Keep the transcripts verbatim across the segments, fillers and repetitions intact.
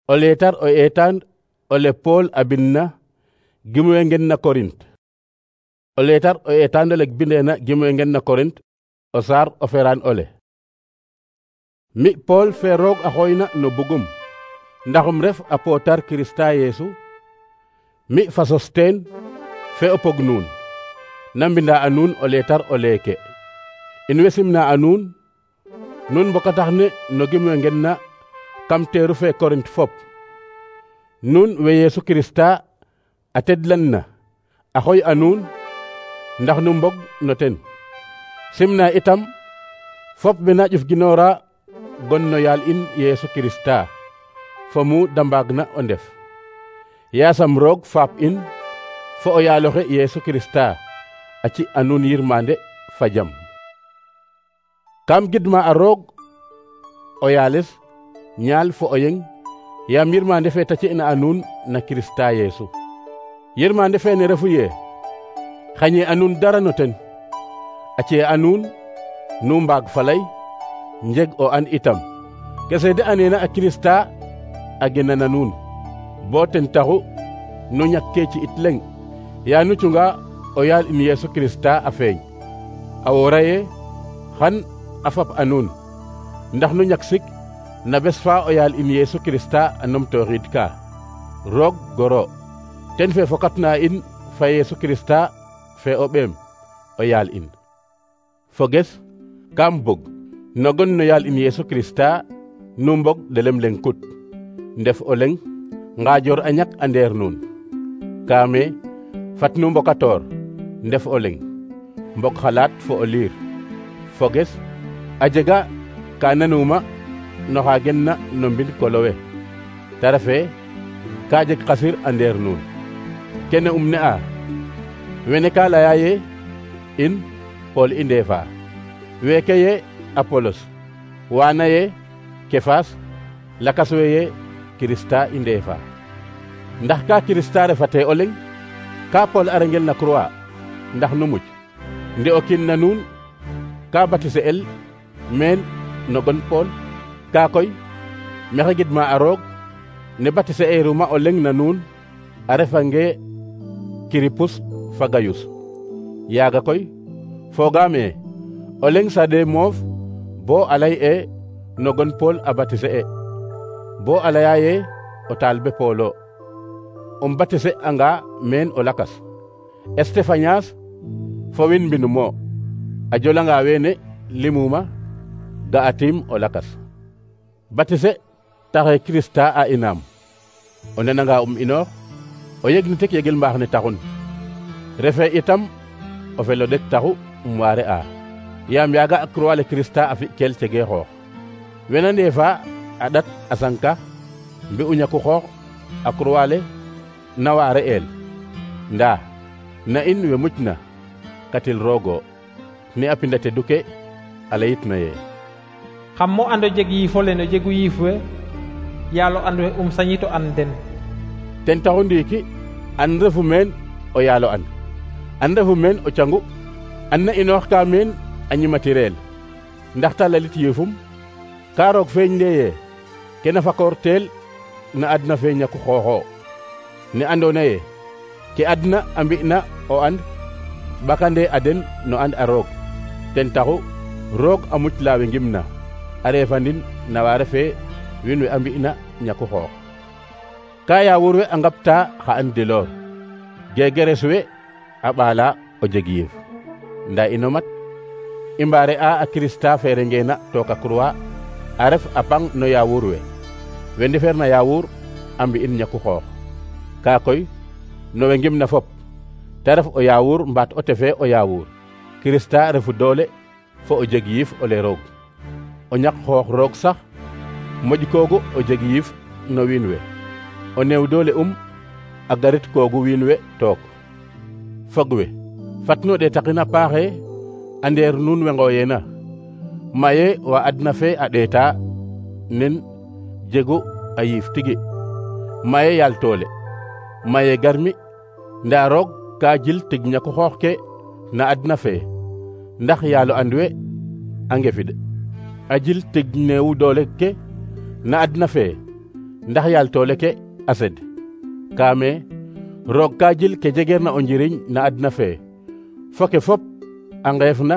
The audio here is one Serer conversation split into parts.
O leetar o eetaan ole Paul a bindna gimwe ngen na Korint. O leetar o eetaan ole bindeena gimwe ngen na Korint o saar o feraan ole. Mi Paul fe roog a xooyna no bugum ndaxum ref apootar Kirista Yeesu, mi fa Sosteen fe o pog nuun na mbinda a nuun o leetar o leeke. In way simna a nuun nuun mbokatax ne no gimwe ngen na kam teeru fe Korint fop. Nuun we Yeesu Kirista a tedlan na a xooy a nuun ndax nu mbog no ten. Simna itam fop we na ƴuf ginoora gon no yaal in Yeesu Kirista fo mu da mbaagna o ndef. Yaasam roog faap in fo o yaaloxe Yeesu Kirista a ci a nuun yirmande fa jam. Kam gidma a roog o yaales ñaal fo o yeng yaam yirmande fe ta ci'na a nuun na Kirista Yeesu. Yirmande fe ne refu ye xañe a nuun dara no ten, a ci'e a nuun nu mbaag falay njeg o an itam ke seede aneena a Kirista a gena na nuun bo ten taxu nu ñakke ci it leŋ ya nu cunga o yaal in Yeesu Kirista a feeñ. A woora ye xan a fap a nuun ndax nu ñak sik na bes fa o yaal in Yeesu Kirista a numtooxiid ka. Roog goro ten fe fokatna in fa Yeesu Kirista fe o ɓeem o yaal in. Foges kam bog no gon no yaal in Yeesu Kirista nu mbog de lem leŋ kut ndef o leŋ ngaajoor a ñak a ndeer nuun. Kaame fat nu mbokatoor ndef o leŋ mbok xalaat fo o liir. Foges a jega ka nanuma no xa genna no mbind kolowe ta refe ka jeg xasir a ndeer nuun. Kene um ne a wene ka laya ye in Paul i ndeefa, weeke ye Apolos, waana ye Kefas, lakas we ye Kirista i ndeefa. Ndax ka Kirista refate o leŋ ka Paul a rengel na croix ndax nu muc nde o kiin na nuun ka batise el meen no gon Paul. Ka koy maxey gidma a roog ne batise eruma o leŋ na nuun a refange Kiripus fa Gayus. Yaaga koy fogaame o leŋ sade moof bo a lay e no gon Paul a batise e bo a laya ye o taalibe Paul o um batise anga meen o lakas. Estefanyas fo win mbinum o a jolanga weene limuma ga'atim o lakas. Batise taxe Kirista a inaam o nananga um inoox o yeg nitek yegel mbaax ne taxun. Refe itam o fel o ɗek taxu um waare a yaam yaaga a croix le Kirista a fi kel cege xoox. Wena ndeefa a ɗat a sanka mbi'u ñaku xoox a croix le na waare el. Ndaa na in we mucna katil roogo ne a pinda te duke a layitna ye xam mo ando jeg yiifo le no jegu yiif we yaalo and we um sañito an den. Ten taxu ndiiki an refu meen o yaalo an an refu meen o cangu an na inoox ka meen a ñimatireel ndax ta lalit yiifum ka roog feeñ ndeye kena fakoor teel na adna fe ñaku xooxo ne andoona ye ke adna a mbi'na o and ɓakande a den no and a roog. Ten taxu roog a muc laawe ngimna a refandin na wa refe wiin we a mbi'na ñaku xoox. Ka yaawur we a ngapta xa an diloor gegeres we a ɓaala o jeg yiif. Ndaa ino mat i mbaare a a Kirista fe rengeena took a croix a ref a pang no yaawur we we ndefeer na yaawur a mbi'in ñaku xoox. Ka koy no we ngimna fop ta ref o yaawur mbaat o tefe o yaawur, Kirista refu doole fo o jeg yiif o le roog. O ñak xoox roog sax moƴ koogu o jeg yiif no wiin we. O neew doole um a garit koogu wiin we took. Fog we fat nu ɗeetaqin a paaxe a ndeer nuun we ngooyeena maye wa adna fe a ɗeeta nen jegu a yiif tigi, maye yaal toole, maye garmi. Ndaa roog ka jil tig ñaku xoox ke na adna fe ndax yaalo and we a ngefid a jil tig neewu doole ke na adna fe ndax yaal toole ke a sed kaame roog ka jil ke jegeer na o njiriñ na adna fee fo ke fop a ngeef na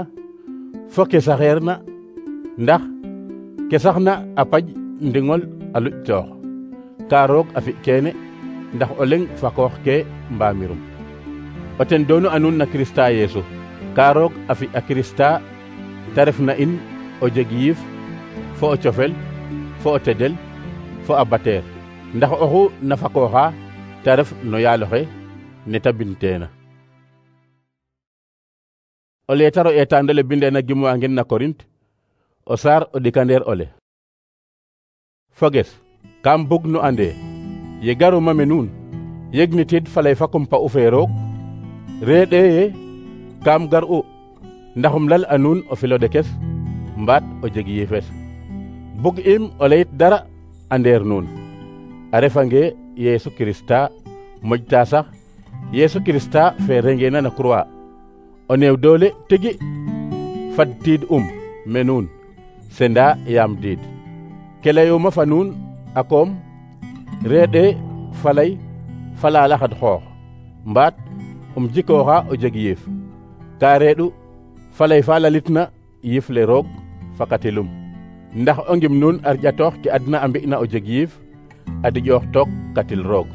fo ke saxeer na ndax ke saxna a paj ndiŋol a luƴ toox ka roog a fi keene ndax o leŋ fakoox ke mbaamirum o ten doonu a nuun na Kirista Yeesu ka roog a fi a Kirista te ref na in o jeg yiif fo o cofel fo o tedel fo a bateer ndax oxu na fakooxa te ref no yaaloxe ne ta binteena. O leetar o eetaandole bindeena gimwa ngen na Korint o saar o ɗikandeer ole. Foges kam bug nu ande ye garuma me nuun yegnitid falay fa kumpa u fee roog reeɗe ye kam gar u ndaxum lal a nuun o filo ɗekes mbaat o jeg yiifes bug im o leyit dara a ndeer nuun a refange Yeesu Kirista moƴta sax Yeesu Kirista fe rengeena na croix o neew doole tigi fad tiid um me nuun senda yaam diid ke layuma fa nuun a koom reeɗe falay falala xad xoox mbaat um jikooxa o jeg yiif ka reeɗu falay fa lalitna yiif le roog fakatilum ndax o ngim nuun a rƴatoox ke adna a mbi'na o jeg yiif a diƴoox took katil roog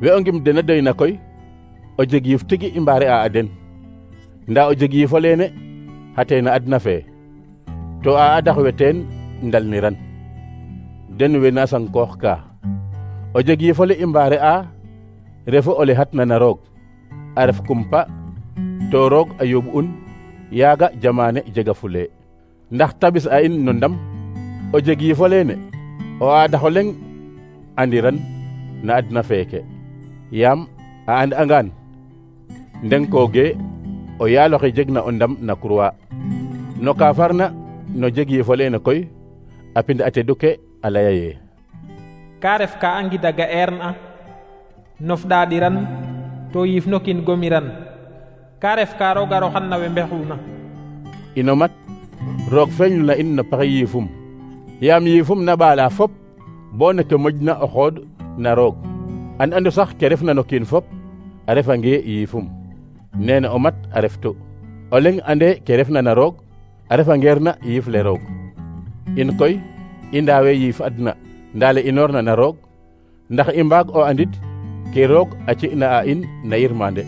we o ngim dena doyna koy o jeg yiif tigi i mbaare a a den nda o jeg yiifo leene xate na adna fee to a adax we teen ndalniran den we na sankoox ka o jeg yiifo le i mbaare a refu o le xatna na roog a ref kumpa to roog a yooɓ un yaaga jamaane jega fule ndax tabis a in no ndam o jeg yiifo leene o aadaxo leŋ andiran na adna feeke yaam a and angaan ndenkooge o yaaloxe jeg na o ndam na croix no ka farna no jeg yiifo leene koy a pind a tedu ke a laya ye ka ref ka a ngidaga eerna nof ɗaɗiran to yiif no kiin gomiran ka ref ka roog a roxan na we mbexuuna ino mat roog feeñu na in no paxe yiifum yaam yiifum na ɓaala fop bo ne ke moƴna o xood na roog an andu sax ke refna no kiin fop a refange yiifum neene o mat a reftu o leŋ ande ke refna na roog a refangeer na yiif le roog in koy i ndaawe yiif adna ndaa le inoorna na roog ndax i mbaag o andit ke roog a ci'na a in na yirmande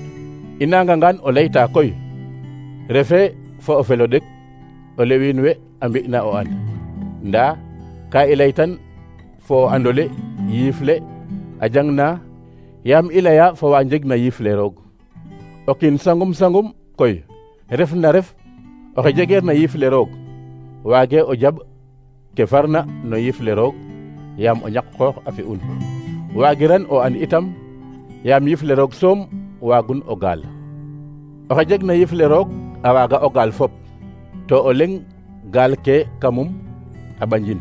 i nangangaan o layta koy refe fo o felo ɗek o le wiin we a mbi'na o and ndaa ka i laytan fo o andole yiif le a jangna yaam i laya fo wa njegna yiif le roog o kiin sangum sangum koy ref na ref oxe jegeer na yiif le roog waage o jaɓ ke farna no yiif le roog yaam o ñak xoox a fi'un waagiran o and itam yaam yiif le roog soom waagun o gaal oxe jeg na yiif le roog a waaga o gaal fop to o leŋ gaal ke kamum a ɓanjin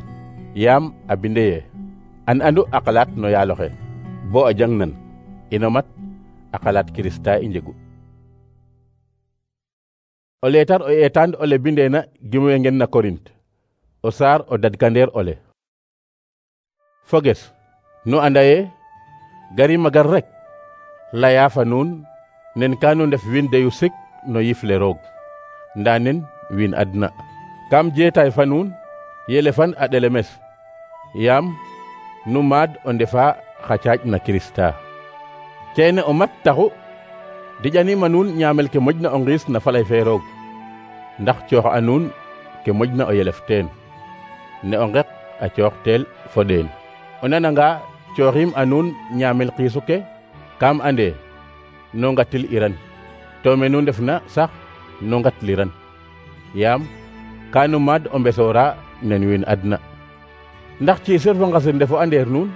yaam a binde ye an andu a xalaat no yaaloxe bo a jang nan ino mat a xalaat Kirista i njegu o leetar o eetaan ole bindeena gimwe ngen na Korint o saar o dadkandeer ole foges nu anda ye gari magar rek laya fa nuun nen ka nu ndef wiin deyu sik no yiif le roog nda nen wiin adna kam jeetaay fa nuun yele fan a ɗelemes yaam nu maad o ndefa xa caaƴ na Kirista keene o mat taxu diƴanima nuun ñaamel ke moƴna o ngiis na falay fe roog ndax coox a nuun ke moƴna o yelef teen ne o ngeq a coox teel fo ɗeen o nananga cooxim a nuun ñaamel xiisu ke kam ande no ngatil iran to me nu ndefna sax no ngatliran yaam ka nu maad o mbesoora nen wiin adna ndax ciisir fo ngasir ndefo andeer nuun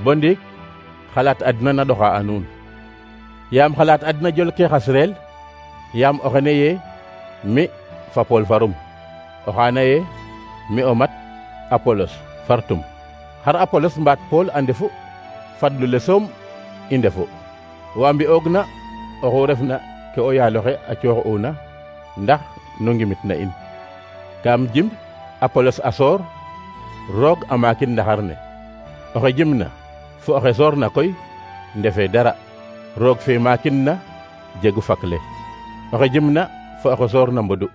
bo ndiik xalaat adna na ɗoxa a nuun yaam xalaat adna jol ke xasreel yaam o xene ye mi fa Pool farum o xaana ye mi o mat Apolos fartum xar Apolos mbaat Pool a ndefu fadlu le soom i ndefu wa mbi'oogna oxu refna ke o yaaloxe a coox'una ndax nu ngimit na in kam jimb Apolos a soor roog a maakin ndaxar ne oxe jimna fo oxe soorna koy ndefe dara roog fe maakin na jegu fakle oxe jimna fo oxe soorna mbodu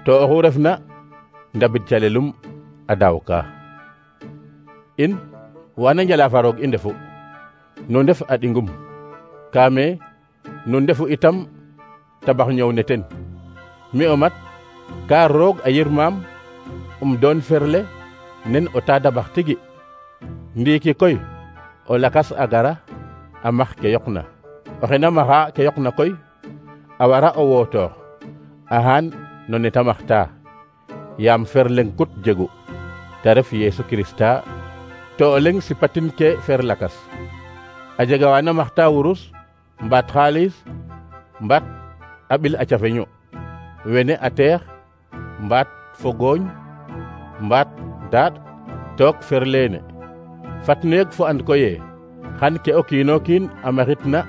to oxu refna ndabid calelum a daaw ka in wana njala fa roog i ndefu nu ndef a ɗingum kaame nu ndefu itam tabax ñëw ne ten mi o mat ka roog a yirmaam um doon ferle nen o ta dabax tigi ndiiki koy o lakas a gara a max ke yoqna oxe na maxa ke yoqna koy a wara o wootoox ahaan no ne ta maxta yaam ferleng kut jegu te ref Yeesu Kirista to o leng sipatin ke fer lakas a jega wa na maxta wurus mbaat xaalis mbaat a ɓil a cafeñu wene a teex mbaat fo gooñ mbaat daaɗ took fer leene fat nu yeg fo and koye xan ke o kiino kiin a maxit na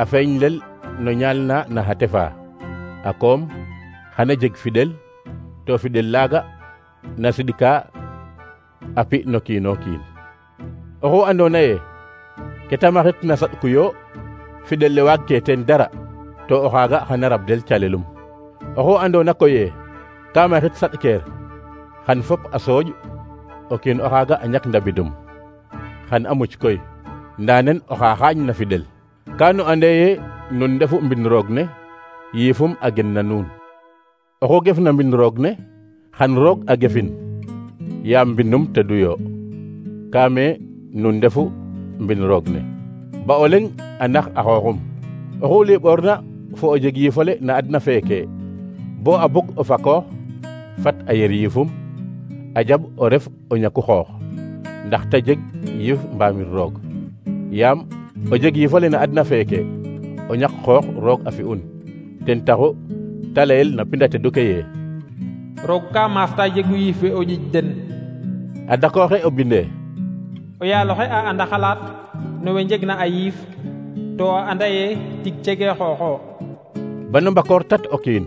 a feeñ lel no ñaal na na xa tefa a koom xana jeg fidel to fidel laaga na sidka a pi no kiino kiin oxu andoona ye ke ta maxit na saɗkuyo fidel le waag ke teen dara to o xaaga xana rabdel calelum oxu andoona koye ka maxit saɗkeer xan fop a sooƴ o kiin o xaaga a ñak ndabidum xan a muc koy ndaa nen oxa xaañ na fidel ka nu ande ye nun ndefu mbin roog ne yiifum a gen na nuun oxu gef na mbin roog ne xan roog a gefin yaam mbinum teduyo kaame nun ndefu mbin roog ne ba o leng a nax a xooxum oxu liɓoorna fo o jeg yiifole na adna feeke bo a bug o fakoox fat a yer yiifum a jaɓ o ref o ñaku xoox ndax te jeg yiif mbaamir roog yaam o jeg yiifole na adna feeke o ñak xoox roog a fi'un ten taxu te layel na pinda tedu ke ye roog ka maafta jegu yiif we o ƴiƴ den a dakooxe o binde o yaaloxe a anda xalaat no we njegna a yiif to a anda ye tig cege xooxo banu mbakoor tat o kiin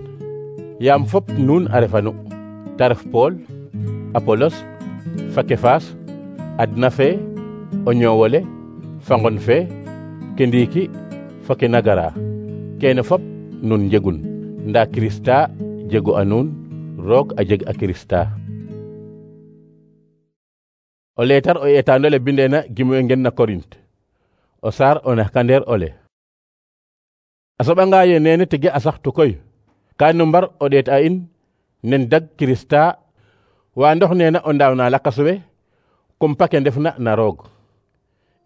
yaam fop nuun a refanu te ref Pool Apolos fa Kefaas adna fe o ñoowole fa ngon fe ke ndiiki fa ke na gara keene fop nun njegun ndaa Kirista jegu a nuun roog a jeg a Kirista o leetar o eetaano le bindeena gimu ngen na Korint o saar o naxkandeer ole a soɓanga ye neene tige a saxtu koy ka nu mbar o ɗeet a in nen dag Kirista wa ndox neena o ndaaw na lakas we kumpa ke ndefna na roog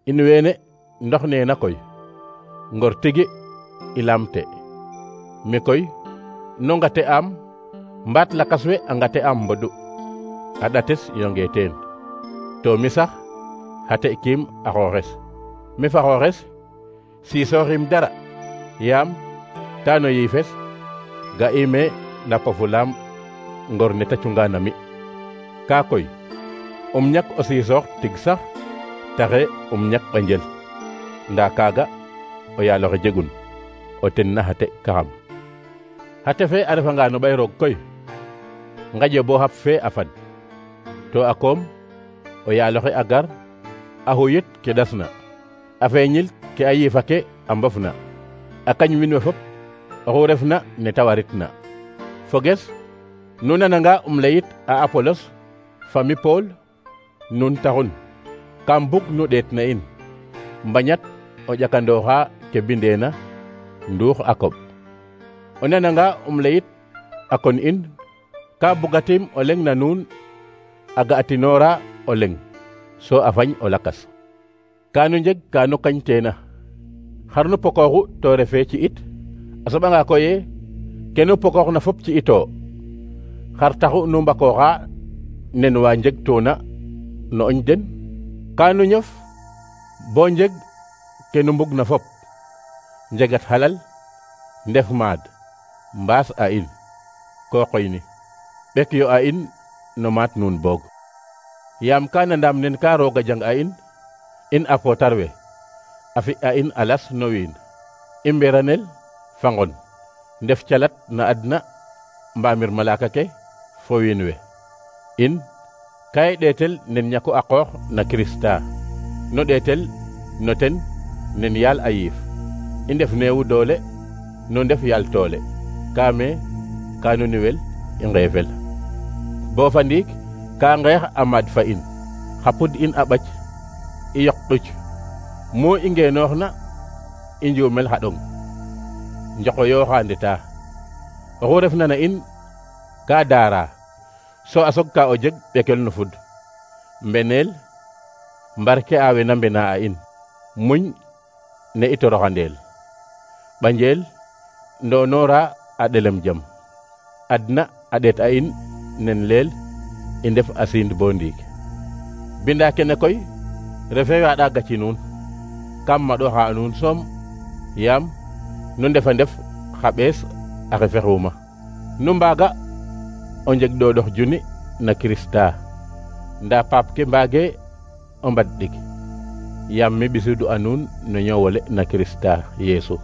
in weene ndox neena koy ngor tigi i lamte mi koy no ngate am mbaat lakas we a ngate am mbodu a ɗates yonge teen to mi sax xate kiim a xooxes mi fa xooxes siisooxim dara yaam ta no yiifes ga'ime na pofulaam ngor ne ta cunga na mi kaa koy um ñak o siisoox tig sax taxe um ñak ɓanjel ndaa kaaga o yaaloxe jegun o ten na xate kaxam xate fe a refanga no ɓay roog koy ngaƴo bo xap fe a fad to a koom o yaaloxe a gar a xuyit ke ɗasna a feeñil ke a yiifa ke a mbofna a kañ wiin we fop oxu refna ne ta waritna foges nu nananga um layit a Apolos fa mi Pool nun taxun kam bug nu ɗeet na in mbañat o ƴakandooxa ke bindeena nduux a koɓ o nananga um layit a kon in ka bugatim o leng na nuun a ga'atinoora o leng so a fañ o lakas kanu njeg kanu kañ teena xar nu pokooxu to refe ci it a soɓanga koye kenu pokooxna fop ci ito xar taxu nu mbakooxa nen wa njeg toona no oñ den kanu ñof bo njeg kenu mbug na fop njegat halal ndef maad mbaas a in ko qoyni ɓek yo a in no maat nuun boog yaam kana ndam nen ka rooga jang a in in a pootar we a fi a in alas no wiin i mberanel fa ngon ndef calat na adna mbaamir malaka ke fo wiin we in ka i ɗeetel nen ñaku a qoox na Kirista no ɗeetel no ten nen yaal a yiif i ndef neewu doole no ndef yaal toole kaame ka no niwel i ngeefel bo fa ndiik ka ngeex a maad fa in xa pud in a ɓac i yoq ɗuc mu i ngeenoox na i njuumel xa ɗong njoqoyooxa ndeta oxu refna na in ka daara so a sog ka o jeg ɓekel no fud mbeneel mbarke a wena mbena a in muñ ne i toroxandeel ɓanjeel ndonora a ɗelem jam adna a ɗeet a in nen leel i ndef a siin bo ndiig binda kene koy refe waaɗa gaci nuun kam maɗoxa a nuun soom yaam nu ndefa ndef xa ɓees a xefexuuma nu mbaaga o njeg ɗooɗox juni na Kirista nda paap ke mbaage o mbad ɗik yaam mi ɓisidu a nuun no ñoowole na Kirista Yeesu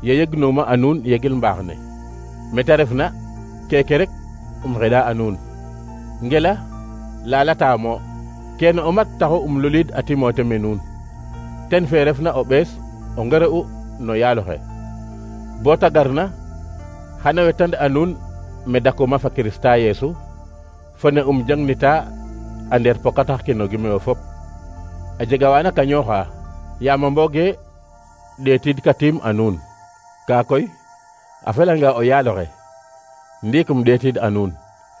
ye yegnuma a nuun yegil mbaax ne mete refna keke rek um xeɗa a nuun ngela lalataamo kene o mat taxu um luliid a Timote me nuun ten fe refna o ɓees o ngere'u no yaaloxe bo ta garna xana wetand a nuun me dakuma fa Kirista Yeesu fo ne um jangnita a ndeer pokatax ke no gimeyo fop a jega waana kañooxa yaam a mbooge ɗeetiid ka tiim a nuun kaa koy a felanga o yaaloxe ndiik um ɗeetiid a nuun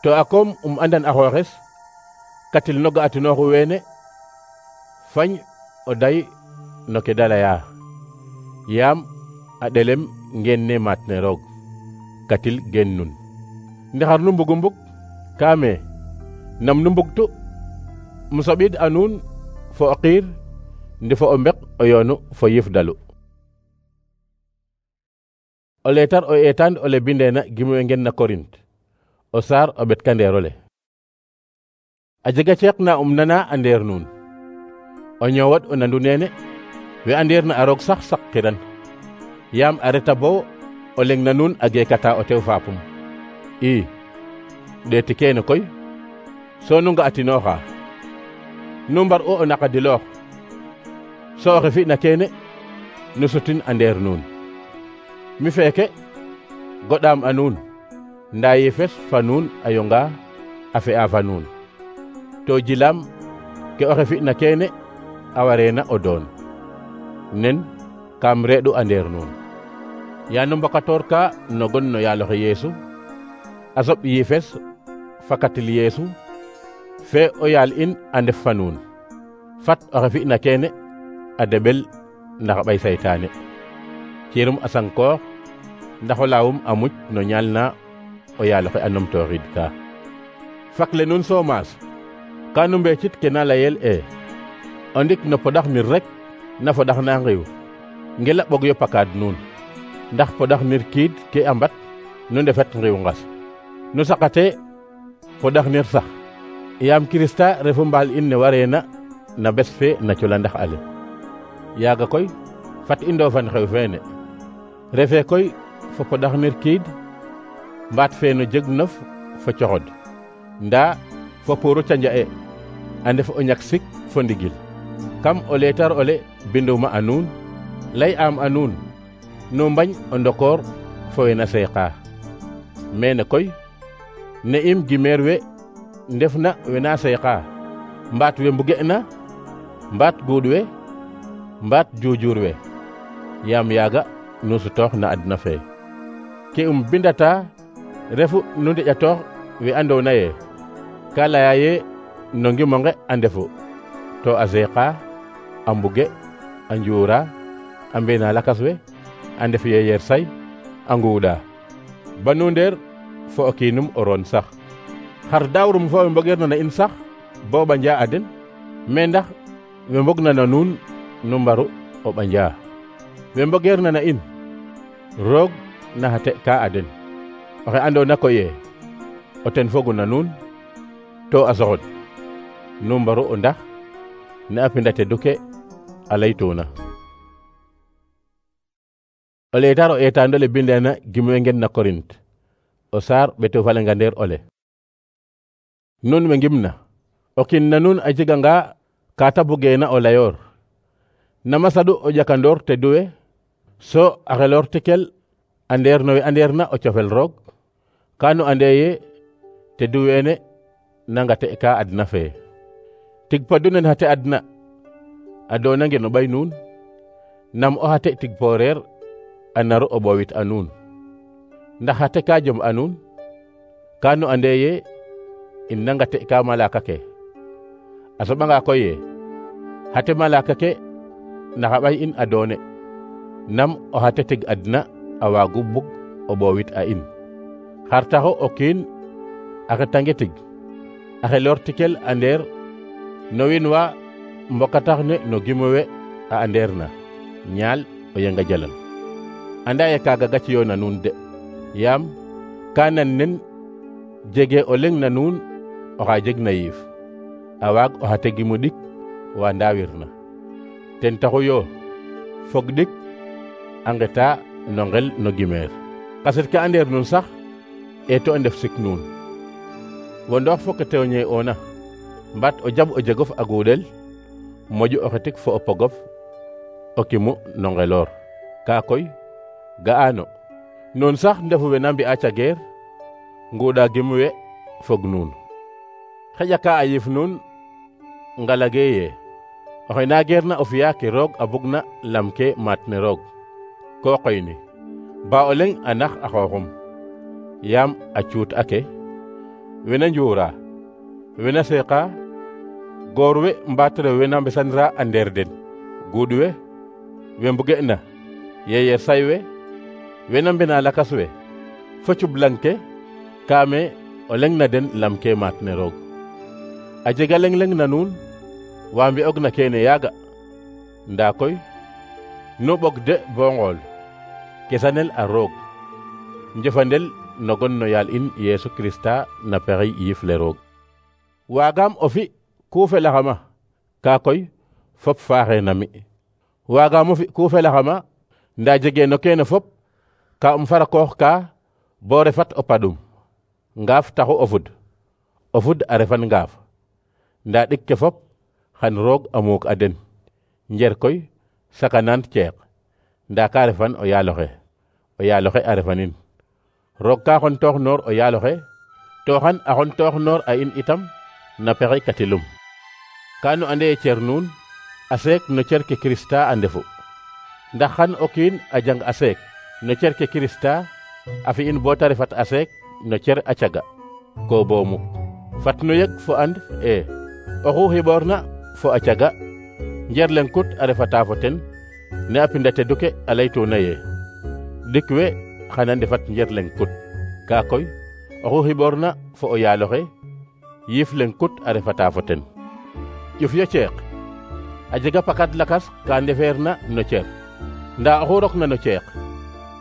to a koom um andan a xooxes katil no ga'atinooxu weene fañ o day no ke da leya yaam a ɗelem ngeen ne maat ne roog katil geen nun ndaxar nu mbugu mbug kaame nam nu mbugtu um soɓid a nuun fo o qiir ndi fo o mbek o yoonu fo yif dalu o leetar o eetaan ole bindeena gimwe ngen na Korint o saar o ɓet kandeerole a jega ceeq na um nana a ndeer nuun o ñoowat o nandu neene we andeer na a roog sax saqiran yaam a reta bo o leng na nuun a geekata o tew faapum i ɗeeti keene koy so nu nga'atinooxa nu mbar u o naqadiloox so oxe fi'na keene nu sutin a ndeer nuun mi feeke goɗaam a nuun ndaa yifes fa nuun a yonga a fe'a fa nuun to jilaam ke oxe fi'na keene a wareena o doon nen kam reeɗu a ndeer nuun yaa nu mbokatoor ka no gon no yaaloxe Yeesu a soɓ yifes fakatil Yeesu fe o yaal in a ndef fa nuun fat oxe fi'na keene a deɓel ndax ɓay saytaane ciirum a sankoox ndax o laawum a muc no ñaal na o yaaloxe a numtooxiid ka fakle nuun soomaas ka nu mbeecit ke na layel e o ndik no poɗax nir rek na foɗax na ngiw ngela ɓog yo pakaad nuun ndax poɗax nir kiid ke a mbat nu ndefet ngiw ngas nu saqate poɗax nir sax yaam Kirista refu mbaal in ne wareena na bes fe na cula ndax ale yaaga koy fat i ndoofan xew feene refe koy fo poɗax nir kiid mbaat fe no jeg nof fo coxod ndaa fo puuru canja e a ndef o ñak sik fo ndigil kam o leetar ole binduma a nuun lay am a nuun nu mbañ o ndokoor fo we na seeqa mene koy ne im gimeer we ndef na we na seeqa mbaat we mbuge na mbaat guud we mbaat juujuur we yaam yaaga nu sutoox na adna fe ke um bindata refu nu ndeƴatoox we andoona ye ka laya ye no ngimonge a ndefu to a seeqa a mbuge a njuura a mbena lakas we a ndef ye yer say a nguuɗa banu ndeer fo o kiinum o roon sax xar daawrum fo we mbogeerna na in sax bo ɓanja a den mais ndax we mbogna na nuun nu mbaru o ɓanja we mbogeerna na in roog na xa teɓ ka a den oxe andoona koye o ten fogu na nuun to a soxod nu mbaru o ndax ne a pinda tedu ke a laytuuna o leetar o eetaandole bindeena gimwe ngen na Korint o saar ɓeto falenga ndeer ole nun we ngimna o kin na nuun a jeganga kata bugena o layoor nama sadu o ƴakandoor te duwe so a xeloor tikel andeer no we andeer na o cofel roog kanu ande ye te duwene nangate ka adna fee tig padunen xate adna a doona ngen o ɓay nuun nam o xate tig pooreer a naru o ɓowit a nuun ndax xate ka jom a nuun kanu ande ye in nangate ka malaka ke a soɓanga koy ye xate malaka ke naxa ɓay in a doone nam o xate tig adna a waagu bug o ɓowit a in xar taxu o kiin a xetange tig a xeloor tikel andeer no wiin wa mbokatax ne no gimowe a andeer na ñaal o yenga jalan anda ye kaaga gaciyo na nuun de yaam ka nan nen jege o leng na nuun oxa jeg na yiif a waag o xate gimu ɗik wa ndawir na ten taxu yo fog ɗik a ngeta no ngel no gimeer kaset ke andeer nuun sax eto a ndef sik nuun wo ndoox fo ke teeñe oona mbat o jab o jegof a guuɗel moƴu o xetik fo o pogof o kimu no ngeloor ka koy ga'ano nuun sax ndefu we na mbi'a cageer nguuɗa gimu we fog nuun xeƴa ka a yif nuun ngalage ye oxe na geer na o fiya ke roog a bugna lam ke maat ne roog ko qoyni ba o leng a nax a xooxum yaam a cuut ake wena njuura wena seeqa goor we mbaat rew we na mbesanra a ndeer den guuɗ we we mbuge na yeyer say we wena mbena lakas we fo cublang ke kaame o leng na den lam ke maat ne roog a jega leng leng na nuun wa mbi'og na kene yaaga ndaa koy nu ɓog de bo ngool kesanel a roog njëfandel no gon no yaal in Yeesu Krista na pexey yiif le roog waagaam o fi ku felaxama ka koy fop faaxe na mi waagaam o fi ku felaxama ndaa jege no kene fop ka um farakoox ka bo refat o padum ngaaf taxu o fud o fud a refan ngaaf ndaa ɗik ke fop xan roog a muuk a den njer koy sakanaan ceeq ndaa ka refan o yaaloxe o yaaloxe a refanin roog ka xontoox noor o yaaloxe to xan a xontoox noor a in itam na pexey katilum ka nu ande cer nuun a seek no cer ke Krista a ndefu ndax xan o kiin a jang a seek no cer ke Krista a fi'in bo ta refat a seek no cer a caga ko boomu fat nu yeg fo and e oxu xiɓoorna fo a caga njer leng kut a refata fo ten ne a pinda tedu ke a laytuna ye dik we xana ndefat njer leng kut ka koy oxu xiɓoorna fo o yaaloxe yiif leng kut a refata fo ten ƴuf yo ceeq a jega pakat lakas ka ndefeer na no cer ndaa oxu rokna no ceeq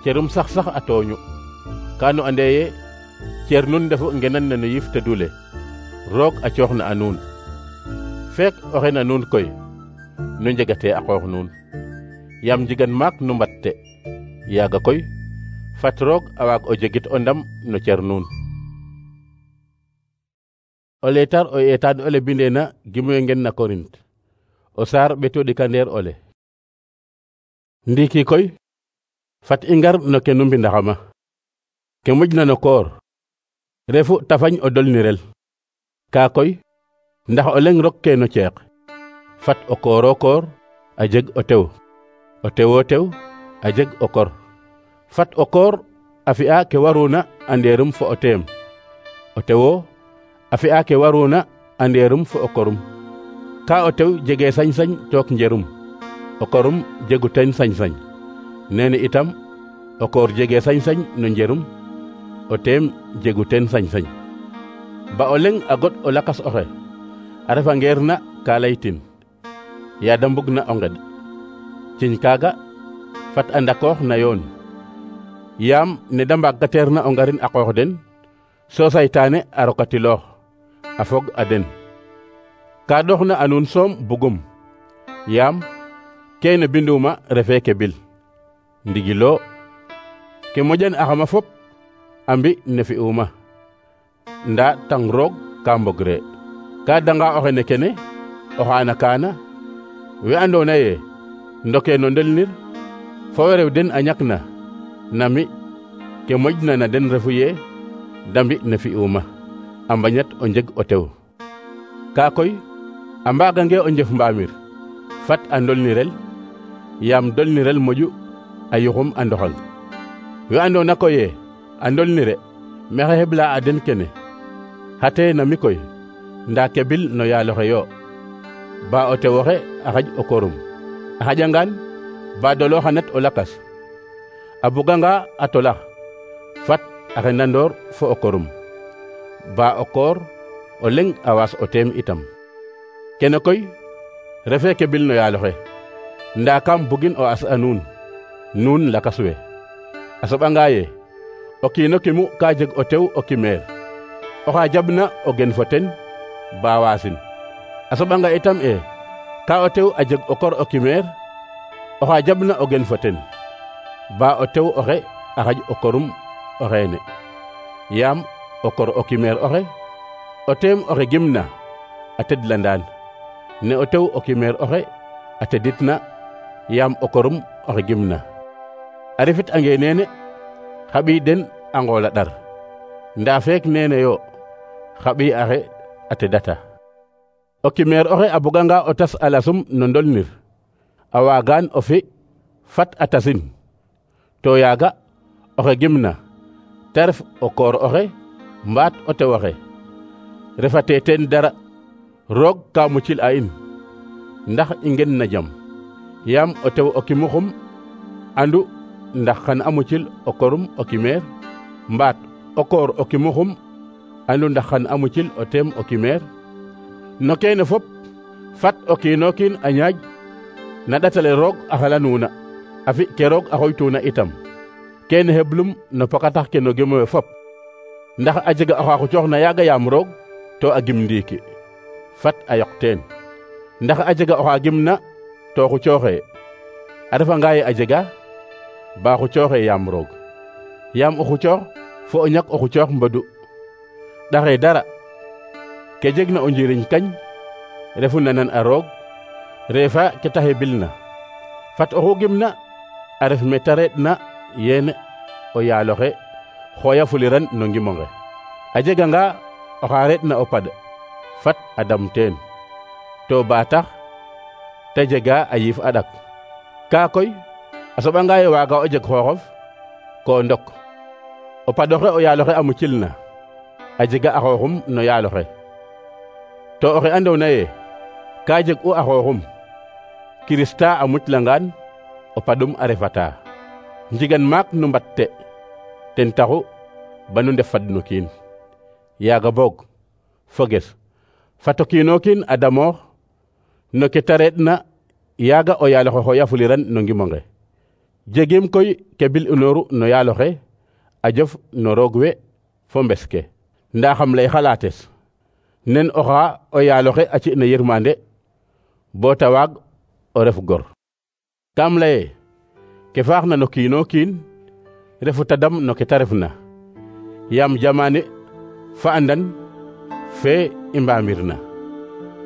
cerum sax sax a tooñu ka nu ande ye cer nun ndefu ngenan ne no yiif tedule roog a coox na a nuun feek oxe na nuun koy nu njegate a qoox nuun yaam njigan maak nu mbatte yaaga koy fat roog a waag o jegit o ndam no cer nuun o leetar o eetaan ole bindeena gimuwe ngen na Korint o saar ɓeto ɗikandeer ole ndiiki koy fat i ngar no ke nu mbindaxama ke moƴna no koor refu tafañ o dolnirel kaa koy ndax o leng rok ke no ceeq fat o kooro koor a jeg o tew o tewo tew a jeg o kor fat o koor a fi'a ke waruna a ndeerum fo o teem o tewo a fi'a ke waruna a ndeerum fo o korum ka o tew jege sañ-sañ took njerum o korum jegu ten sañ-sañ nene itam o koor jege sañ-sañ no njerum o teem jegu ten sañ-sañ ba o leng a god o lakas oxe a refa ngeer na ka laytin yaada mbug na o nged ciñ kaaga fat a ndakoox na yoon yaam ne da mbaagkateer na o ngarin a qoox den so saytaane a rokatiloox a fog a den ka dox na a nuun soom bugum yaam kene binduma refe ke bil ndigilo ke moƴan axama fop a mbi ne fi'uma ndaa tang roog ka mbogre ka danga oxe ne kene o xaana kaana we andoona yee ndokee no ndelnir fo we rew den a ñakna nami ke moƴna na den refu yee da mbi ne fi'uuma a mbañat o njeg o tew kaa koy a mbaagange o njef mbaamir fat a ndolnirel yaam dolnirel moƴu a yuxum a ndoxang we andoona koy yee a ndolnire maxey xeɓla a den kene xate na mi koy ndaa kebil no yaaloxe yo ba o tew oxe a xaƴ o korum a xaƴangaan ba dolo xa nat o lakas a buganga a tolax fat a xendandoor fo o korum ba o koor o leŋ a waas o teem itam kene koy refee kebil no yaaloxe ndaa kam bugin o as a nuun nuun lakas we a soɓanga yee o kiino kimu ka jeg o tew o kimeer oxa jabna o gen fo ten ba waasin a soɓanga itam e ka o tew a jeg o kor o kimeer oxa jabna o gen fo ten ba o tew oxe a xaƴ o korum o xeene yaam o kor o kimeer oxe o teem oxe gimna a tedlandaan ne o tew o kimeer oxe a teditna yaam o korum oxe gimna a refit ange neene xa ɓiy den a ngoola ɗar ndaa feek neene yo xa ɓiy axe a tedata o kimeer oxe a buganga o tas a lasum no ndolnir a waagaan o fi fat a tasin to yaaga oxe gimna te ref o koor oxe mbaat o tew oxe refate teen dara roog ka mucil a in ndax i ngen na jam yaam o tew o kimuxum andu ndax xan a mucil o korum o kimeer mbaat o koor o kimuxum andu ndax xan a mucil o teem o kimeer no keene fop fat o kiino kiin a ñaaj na ɗatale roog a xalanuuna a fi ke roog a xoytuuna itam keene heblum no pokatax ke no gimowe fop ndax a jega oxa xucooxna yaaga yaam roog to a gim ndiiki fat a yoq teen ndax a jega oxa gimna to xucooxe a refanga ye a jega ba xucooxe yaam roog yaam o xucoox fo o ñak o xucoox mbodu ɗaxe dara ke jegna o njiriñ kañ refu nanan a roog reefa ke ta hebilna fat oxu gimna a ref me ta reɗna yeene o yaaloxe xooya fuliran no ngimonge a jeganga oxa reɗna o pad fat a dam teen to ba tax te jega a yiif a ɗak kaa koy a soɓanga ye waaga o jeg xooxof ko ndok o padoxe o yaaloxe a mucilna a jega a xooxum no yaaloxe to oxe andoona yee ka jeg u a xooxum kirista a muclangaan o padum a refata njigan maak nu mbatte ten taxu banu ndef fad no kiin yaaga boog foges fato kiino kiin a damoox no ke ta reɗna yaaga o yaaloxe xooya fuliran no ngimonge jegim koy ke bil unooru no yaaloxe a jof no roog we fo mbes ke ndaa xam lay xalaates nen oxa o yaaloxe a ci na yirmande boo ta waag o ref gor kam laye ke faaxna no kiino kiin refu ta dam no ke ta refna yaam jamaane fa andan fe i mbaamirna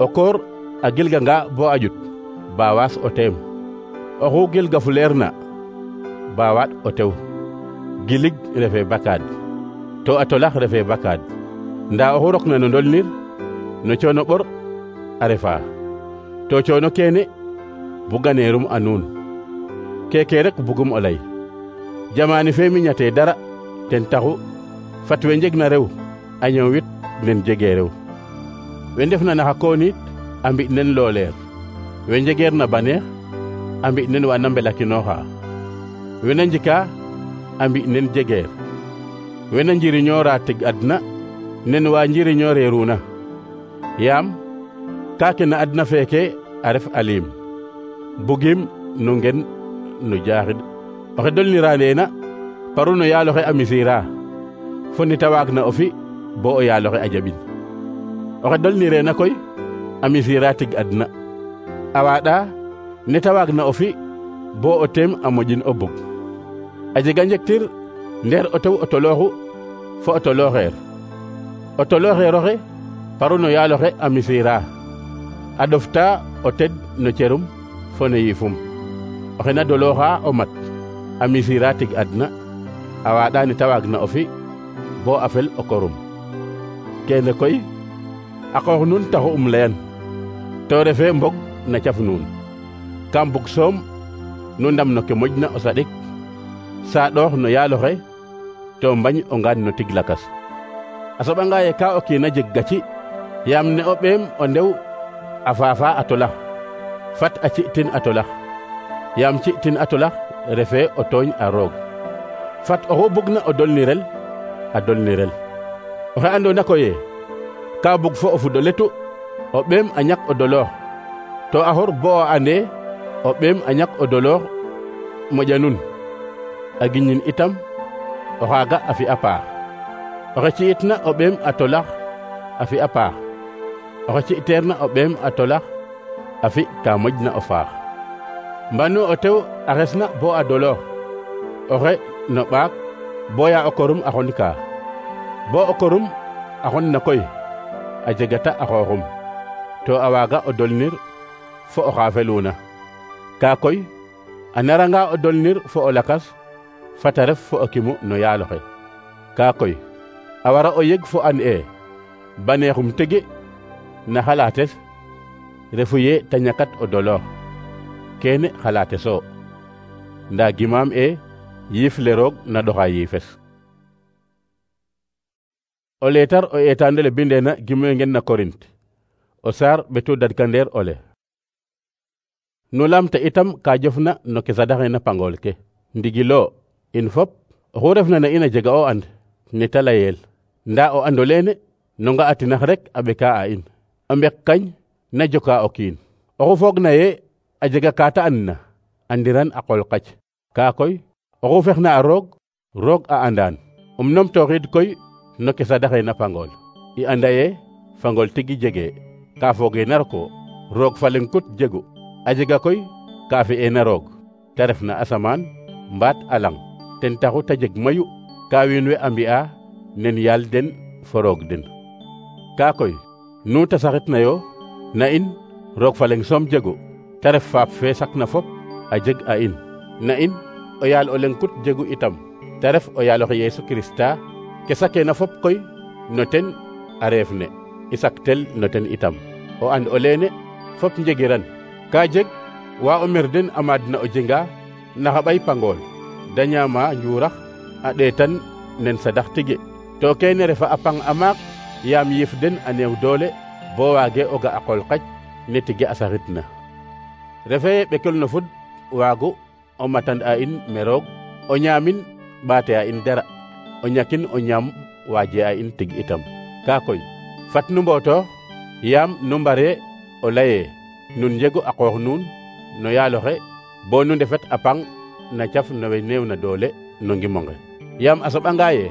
o koor a gilganga bo a ƴut ba waas o teem oxu gilgafuleerna ba waaɗ o tew gilig refe bakaad to a tolax refe bakaad ndaa oxu rokna no ndolnir no coono ɓor a refa to coono keene buganeerum a nuun keke rek bugum o lay jamaani fe mi ñate dara ten taxu fat we njegna rew a ñoowit nen jege rew we ndefna naxa koonit a mbi nen looleer we njegeer na baneex a mbi nen wa na mbelakinooxa we na njika a mbi nen jegeer we na njiriñoora tig adna nen wa njiriñooreeruna yaam kaake na adna feeke a ref aliim bugim nu ngen nu jaaxid oxe dolnira neena paru no yaaloxe a misira fo nita waagna o fi bo o yaaloxe a jaɓin oxe dolnireena koy a misira tig adna a waaɗa neta waagna o fi bo o teem a moƴin o bug a jega njektir ndeer o tew o tolooxu fo o tolooxeer o tolooxeer oxe paru no yaaloxe a misira a ɗofta o ted no cerum fo no yiifum oxe na dolooxa o mat a misira tig adna a waaɗa ne ta waagna o fi bo a fel o korum kene koy a qoox nuun taxu um leyan to refe mbog na caf nuun kam bug soom nu ndam no ke moƴna o saɗik saaɗoox no yaaloxe to mbañ o ngaan no tig lakas a soɓanga ye ka o kiina jeg gaci yaam ne o ɓeem o ndew a faafa a tolax fat a ci'tin a tolax yaam ci'tin a tolax refe o tooñ a roog fat oxu bugna o dolnirel a dolnirel oxe andoona koye ka bug fo o fud o letu o ɓeem a ñak o doloox to a xor bo o ande o ɓeem a ñak o doloox moƴa nun a giñin itam o xaaga a fi'a paax oxe ci'itna o ɓeem a tolax a fi'a paax oxe ci'teerna o ɓeem a tolax a fi ka moƴna o faax mbanu o tew a xesna bo a doloox oxe no ɓaak boya o korum a xon kaa bo o korum a xon na koy a jegata a xooxum to a waaga o dolnir fo o xa feluna kaa koy a naranga o dolnir fo o lakas fata ref fo o kimu no yaaloxe kaa koy a wara o yeg fo an e baneexum tegi na xalaates refu ye ta ñakat o doloox kene xalaateso ndaa gimaam e yiif le roog na ɗoxa yiifes o leetar o eetaandole bindeena gimoyo ngen na Korint o saar ɓetu dadkandeer ole nu lamta itam ka jofna no ke sadaxeena pangool ke ndigilo in fop oxu refna na in a jega o and ne ta layel ndaa o ando leene no nga atinax rek a ɓeka a in a mbek kañ na joka o kiin oxu foogna ye a jega kaata andna andiran a qol qac kaa koy oxu fexna a roog roog a andaan um numtooxiid koy no ke sadaxeena pangool i anda ye fangool tigi jege ka foogeena roko roog fa leŋ kut jegu a jega koy ka fi'eena roog te refna asamaan mbaat a lang ten taxu ta jeg mayu ka wiin we a mbi'a nen yaal den fo roog den kaa koy nu ta saxitna yo na in roog fa leŋ soom jegu te ref faap fe sakna fop a jeg a in na in o yaal o leŋ kut jegu itam te ref o yaaloxe Yeesu Kirista ke sakeena fop koy no ten a reef ne i saktel no ten itam o and o leene fop njegiran ka jeg wa o mer den a maadna o jenga naxa ɓay pangool da ñaama njuurax a ɗeetan nen sadax tigi to keene refa a pang a maak yaam yiif den a neew doole bo waage o ga a qol qac ne tige a saxitna refe ye ɓekel no fud waagu o matan a in me roog o ñaamin ɓaate a in dara o ñakin o ñaam waaje a in tig itam kaa koy fat nu mbootoox yaam nu mbare o laye nun njegu a qoox nuun no yaaloxe bo nu ndefet a pang na caf no we neew na doole no ngimonge yaam a soɓanga ye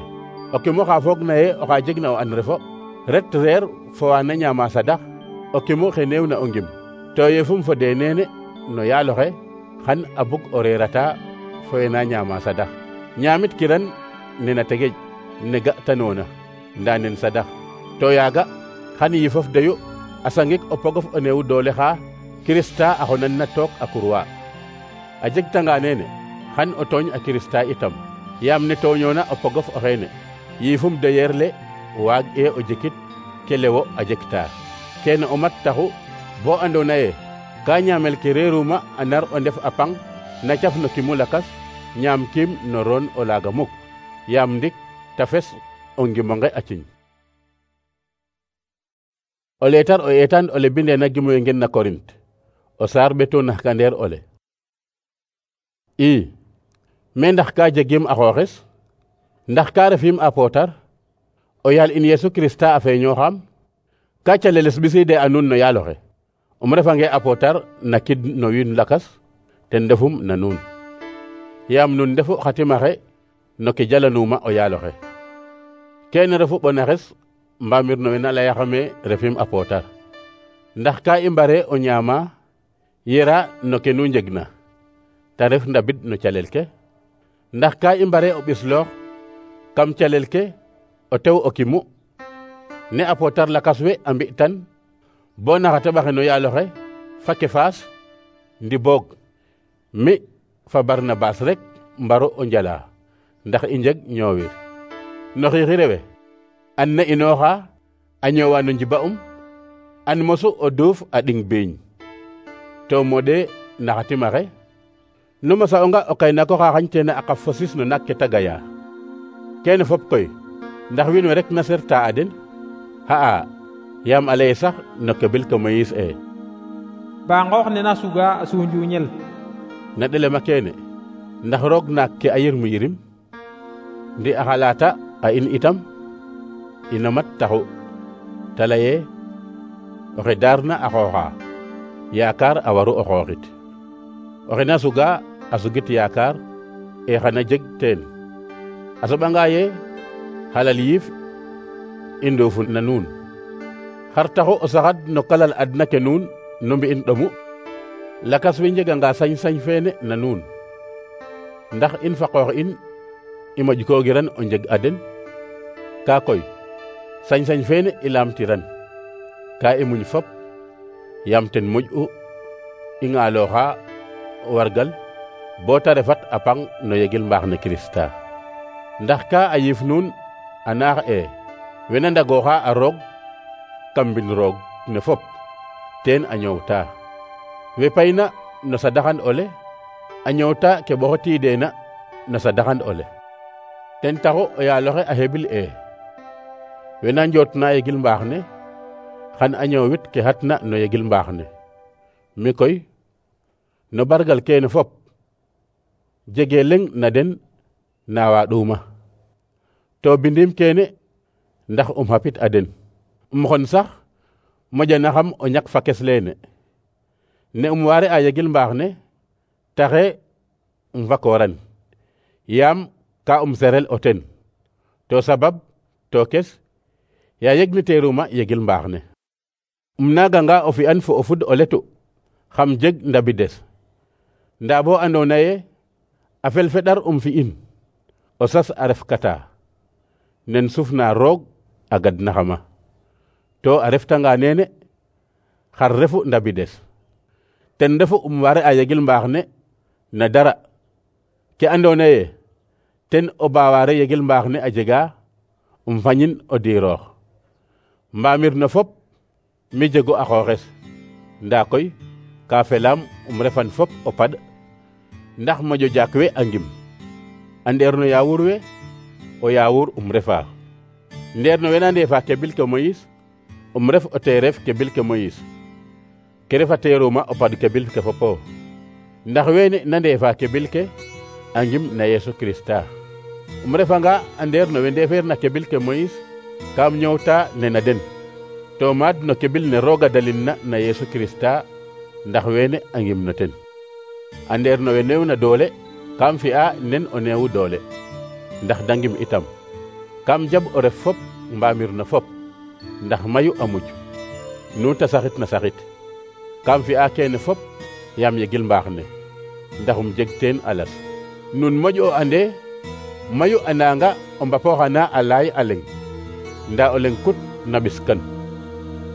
o kimo xa foogna ye oxa jegna o an refo ret reer fo wa na ñaama sadax o kimo xe neew na o ngim to yefum fo de neene no yaaloxe xan a bug o reerata fo we na ñaama sadax ñaamit kiran nena tegej ne ga'tanoona ndaa nen sadax to yaaga xan yifof deyu a sangik o pogof o neewu doole xa Kirista a xonan na took a kurwa a jegtanga neene xan o tooñ a Kirista itam yaam ne tooñoona o pogof o xeene yiifum deyeer le waag e o jekit ke lewo a jekta kene o mat taxu bo andoona ye ka ñaamel ke reeruma a nar o ndef a pang na caf no kimu lakas ñaam kiim no roon o laaga muk yaam ndik ta fes o ngimonge a ciñ o leetar o eetaan ole bindeena gimoyo ngen na Korint o saar ɓetu naxkandeer ole i me ndax ka jegim a xooxes ndax ka refim a pootar o yaal in Yeesu Kirista a feeñooxam ka caleles ɓisiide a nuun no yaaloxe um refange a pootar na kid no wiin lakas ten ndefum na nuun yaam nun ndefu xa timaxe no ke jalanuuma o yaaloxe kene refu ɓonaxes mbamir no we na layaxame refim a pootar ndax ka i mbare o ñaama yera no ke nu njegna ta ref ndabid no calel ke ndax ka i mbare o ɓisloox kam calel ke o tew o kimu ne a pootar lakas we a mbi'tan bo naxa teɓaxe no yaaloxe fa Kefaas ndi boog mi fa Barnabas rek mbaro o njala ndax i njeg ñoowir no xiixi rewe an na inooxa a ñoowa no njiba um an mosu o duuf a ɗing biiñ to moɗe naxa timaxe nu mosa onga o kaynaako xa xañteena a qaf fosis no naak ke ta gaya kene fop koy ndax wiin we rek na serta a den xa'a yaam a leye sax no kebil ke Moïse e ba ngoox ne na suga a sunjuñel na ɗelema keene ndax roog naak ke a yirmu yirim ndi a xalata a in itam ino mat taxu ta leye oxe daarna a xooxa yaakaar a waru o xooxit oxe na suga a sugit yaakaar e xana jeg teen a soɓanga ye xalal yiif i nduufu na nuun xar taxu o saxad no kalal adna ke nuun nu mbi'in ɗomu lakas we njeganga sañ-sañ feene na nuun ndax in fa qoox in i moƴkoogiran o njeg a den ka koy sañ-sañ feene i laamtiran ka i muñ fop yaam ten moƴ'u i ŋaalooxa wargal bo ta refat a pang no yegil mbaax ne Kirista ndax ka a yiif nuun a naax e wena ndagooxa a roog kam mbin roog ne fop teen a ñoowta we payna no sadaxan ole a ñoowta ke ɓoxotiideena no sadaxan ole ten taxu o yaaloxe a hebil e wena njootna yegil mbaax ne xan a ñoowit ke xatna no yegil mbaax ne mi koy no bargal keene fop jege leŋ na den na waaɗuma to bindim keene ndax um xapit a den um xon sax moƴanaxam o ñak fa kes leene ne um waare a yegil mbaax ne taxe um fakooran yaam ka um serel o ten to sabab to kes ya yegni teeruma yegil mbaax ne um naaganga o fi'an fo o fud o letu xam jeg ndabides ndaa bo andoona ye a felfeɗar um fi'in o sas a ref kata nen sufna roog a gadnaxama to a reftanga neene xar refu ndabides ten refu um ware a yegil mbaax ne na dara ke andoona ye ten o baawaare yegil mbaax ne a jega um fañin o diiroox mbaamir no fop mi jego a xooxes ndaa koy ka felaam um refan fop o paɗ ndax moƴo jaak we a ngim a ndeer no yaawur we o yaawur um refa ndeer no wena ndeefa kebil ke Moïse um ref o teeref kebil ke Moïse ke refa teeruma o paɗ kebil ke fopo ndax weene na ndeefa kebil ke a ngim na Yesu Krista um refanga a ndeer no we ndeefeer na kebil ke Moïse kam ñoowta nena den to maad no kebil ne rooga dalinna na Yesu Krista ndax weene a ngim no ten a ndeer no we neew na doole kam fi'a nen o neewu doole ndax da ngim itam kam jaɓ o ref fop mbaamir no fop ndax mayu a muj nu ta saxit na saxit kam fi'a keene fop yaam yegil mbaax ne ndax um jeg teen alas nun moƴ o ande mayu a nanga o mbapooxana a laay a leŋ ndaa o leŋ kut na ɓiskan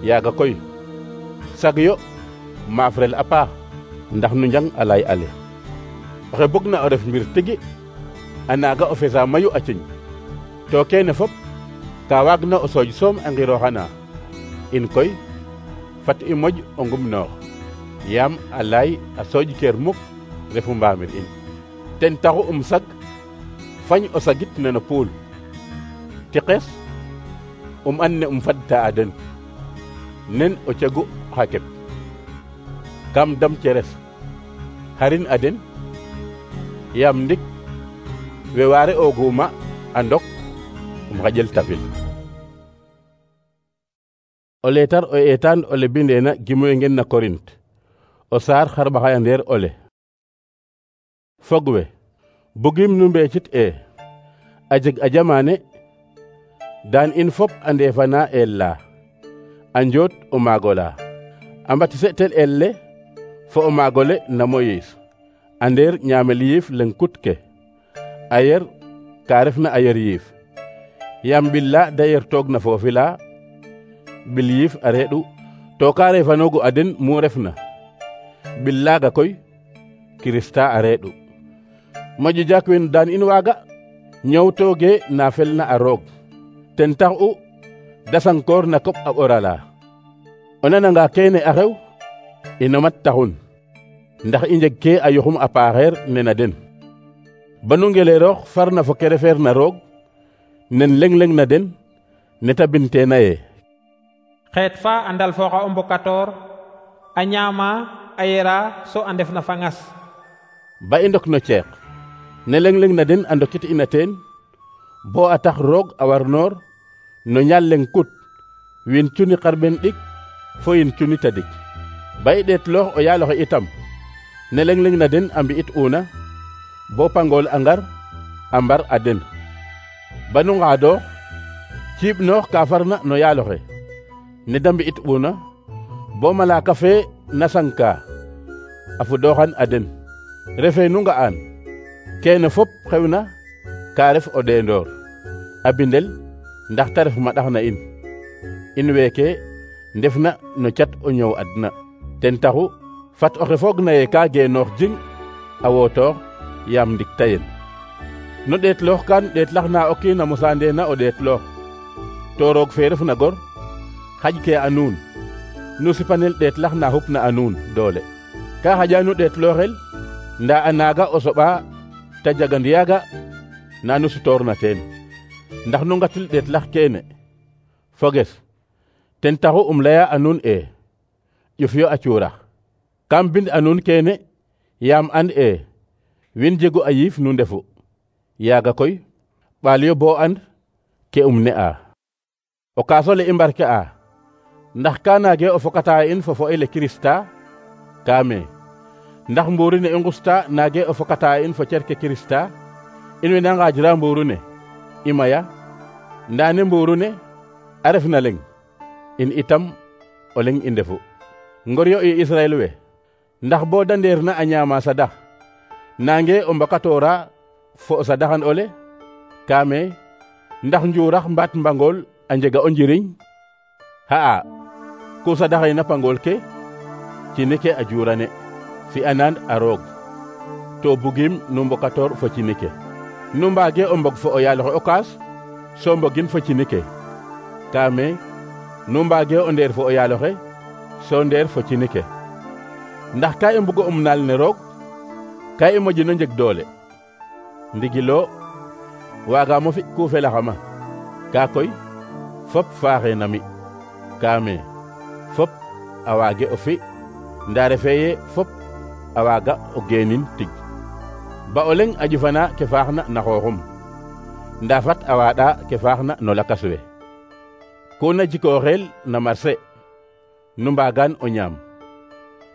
yaaga koy sag yo maafrel a paax ndax nu njang a laay ale oxe bugna o ref mbir tigi a naaga o fesa mayu a ciñ to keene fop ka waagna o sooj soom a ngirooxana in koy fat i moƴ o ngumnoox yaam a laay a sooj keer muk refu mbaamir in ten taxu um sag fañ o sagit neno puul tiqes um an ne um fadta a den nen o cegu xa kep kam dam ceres xarin a den yaam ndik we waare ooguma a ndok um xaƴel tafil o leetar o eetaan ole bindeena gimoy ngen na Korint o saar xarɓaxaya ndeer ole fog we bugim nu mbeecit e a jeg a jamaane daan in fop a ndeefana eel la a njoot o maagola a mbatise tel el le fo o maagole na Moïse a ndeer ñaamel yiif leŋ kut ke a yer ka refna a yer yiif yaam ɓil la da yer toog na foofi la ɓil yiif a reeɗu to ka refanogu a den mu refna bil laga koy Kirista a reeɗu moƴo jak wen daan in waaga ñowtooge na felna a roog ten tax u dasankoor na koɓ a ɓorala o nananga keene a xew ino mat taxun ndax i njeg ke a yoxum a paaxeer nena den banu ngeleeroox farna fo ke refeer na roog nen leng-leng na den neta binteena ye xeet fa a ndalfooxa o mbokatoor a ñaama a yera so a ndef na fa ngas ba i ndok no ceeq ne leng-leng na den a ndokit ina teen bo a tax roog a war noor no ñaal leng kut win cuni xarɓen ɗik fo yin cuni tadik ba i ɗeet loox o yaaloxe itam ne leng-leng na den a mbi'it una bo pangool a ngar a mbar a den banu ngaadoox ciib noox ka farna no yaaloxe ne da mbi'it una bo malaaka fe na sanka a fudooxan a den refe nu nga'aan keene fop xewna ka ref o ɗeendoor a bindel ndax ta ref ma ɗax na in in weeke ndefna no cat o ñoow adna ten taxu fat oxe foog na ye ka geenoox jing a wootoox yaam ndik tayen no ɗeetloox kan ɗeetlax na o kiin a mosaandeena o ɗeetloox to roog fe ref na gor xaƴ ke a nuun nu sipanel ɗeetlax na xupna a nuun doole ka xaƴa nu ɗeetlooxel ndaa a naaga o soɓa ta jagand yaaga na nu sutoorna teen ndax nu ngatil ɗeetlax keene foges ten taxu um laya a nuun e ƴuf yo a cuurax kam bind a nuun keene yaam and e win jegu a yiif nu ndefu yaaga koy ɓaal yo bo and ke um ne'a o kaasole i mbarke a ndax ka naage o fokata in fo fo'ele Kirista kaame ndax mbuuru ne i ngusta naage o fokata in fo cerke Kirista in wena ngaajira mbuuru ne i maya ndaa ne mbuuru ne a ref na leng in itam o leng i ndefu ngor yo i Israel we ndax bo da ndeer na a ñaama sadax nange o mbokatoora fo o sadaxan ole kaame ndax njuurax mbaat mbangool a njega o njiriñ xa'a ku sadaxeena pangool ke cini ke a juurane fi'anaan a roog to bugim nu mbokatoor fo cini ke nu mbaage o mbog fo o yaaloxe o kaas so mbogin fo cini ke kaame nu mbaage o ndeer fo o yaaloxe so ndeer fo cini ke ndax ka i mbugo um naal ne roog ka i moƴino njeg doole ndigilo waagaamo fi ku felaxama ka koy fop faaxe na mi kaame fop a waage o fi ndaa refee ye fop a waaga o geenin tig ba o leng a ƴufana ke faaxna na xooxum ndaa fat a waaɗa ke faaxna no lakas we kuna jikooxeel na marché nu mbaagaan o ñaam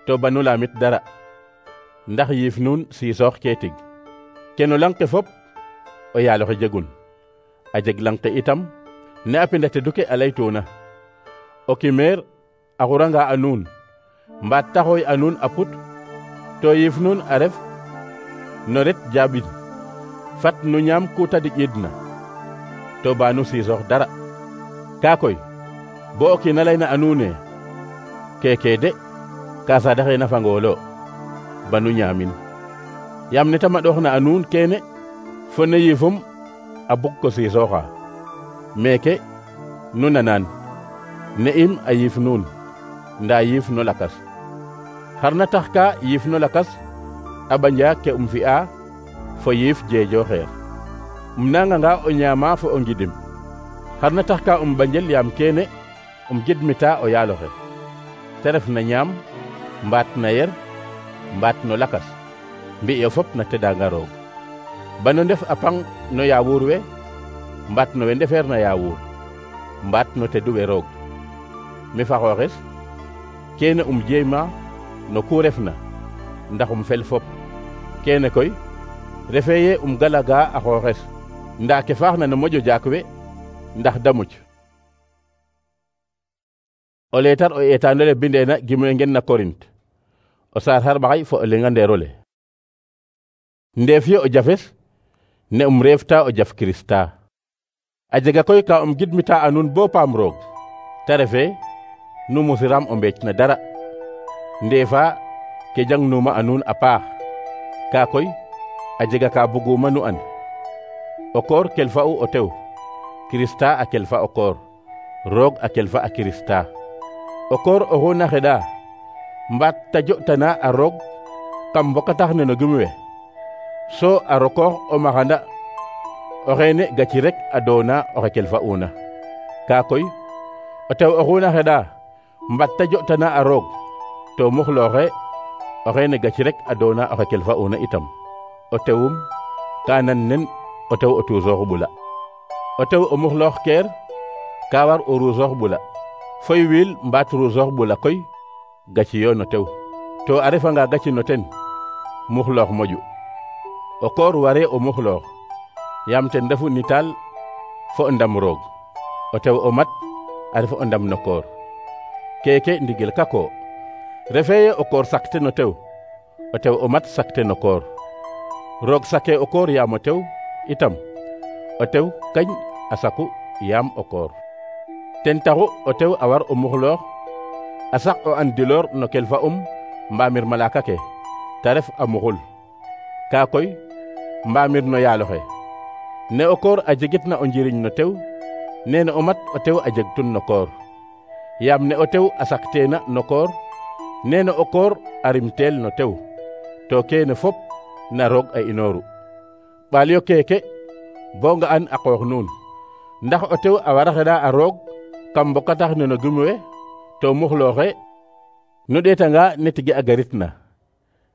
to banu laamit dara ndax yiif nuun siisoox kee tig ke no lang ke fop o yaaloxe jegun a jeg lang ke itam ne a pinda tedu ke a laytuuna o kimeer a xuranga a nuun mbaat taxooy a nuun a put to yiif nuun a ref no ret jaaɓin fat nu ñaam ku tadiƴidna to ba nu siisoox dara kaa koy bo o kiina layna a nuune keeke de ka sadaxeena fangoolo ba nu ñaamin yaam ne ta maɗooxna a nuun keene fo ne yiifum a bug ko siisooxa meeke nu nanaan ne im a yiif nuun ndaa yiif no lakas xar na tax ka yiif no lakas a ɓanja ke um fi'a fo yiif jeejo xeer um nanganga o ñaama fo o ngidim xar na tax ka um ɓanjel yaam keene um gidmita o yaaloxe te ref na ñaam mbaat na yer mbaat no lakas mbi'yo fop na tedanga roog bano ndef a pang no yaawuur we mbaat no we ndefeer na yaawuur mbaat no tedu we roog mi fa xooxes keene um jeema no ku refna ndax um fel fop keene koy refee ye um galaga a xooxes ndaa ke faaxna no moƴo jaak we ndax da muc o leetar o eetaanole bindeena gimwe ngen na Korint o saar xarɓaxay fo o lenga ndeerole ndeef yo o jafes ne um reefta o jaf Kirista a jega koy ka um gidmita a nuun bo paam roog te refe nu musiram o mbeec na dara ndeefa ke jangnuma a nuun a paax ka koy a jega ka buguma nu and o koor kelfa'u o tew Kirista a kelfa o koor roog a kelfa a Kirista o koor oxu na xeɗa mbaat ta jo'tana a roog kam mbokatax ne no gim we so a rokoox o maxanda o xeene gaci rek a doona oxe kelfa'una ka koy o tew oxu na xeɗa mbaat ta jo'tana a roog to muxlooxe o xeene gaci rek a doona oxe kelfa'una itam o tewum ka nan nen o tew o tuusoox ɓula o tew o muxloox keer ka war o ruusoox ɓula foy wiil mbaat ruusoox ɓula koy gaci yo no tew to a refanga gaci no ten muxloox moƴu o koor ware o muxloox yaam ten refu nitaal fo o ndam roog o tew o mat a ref o ndam no koor keke ndigil kako refeye o koor sakte no tew o tew o mat sakte no koor roog sake o koor yaam o tew itam o tew kañ a saku yaam o koor ten taxu o tew a war o muxloox a sak o an diloor no kelfa um mbamir malaka ke ta ref a muxul ka koy mbamir no yaaloxe ne o koor a jegit na o njiriñ no tew nene o mat o tew a jeg tun no koor yaam ne o tew a sakteena no koor nene o koor a rimteel no tew to keene fop na roog a inooru ɓaalyo keeke bo nga an a qoox nuun ndax o tew a wara xeɗa a roog kam mbokatax ne no gim we to muxlooxe nu ɗeetanga ne tige a garit na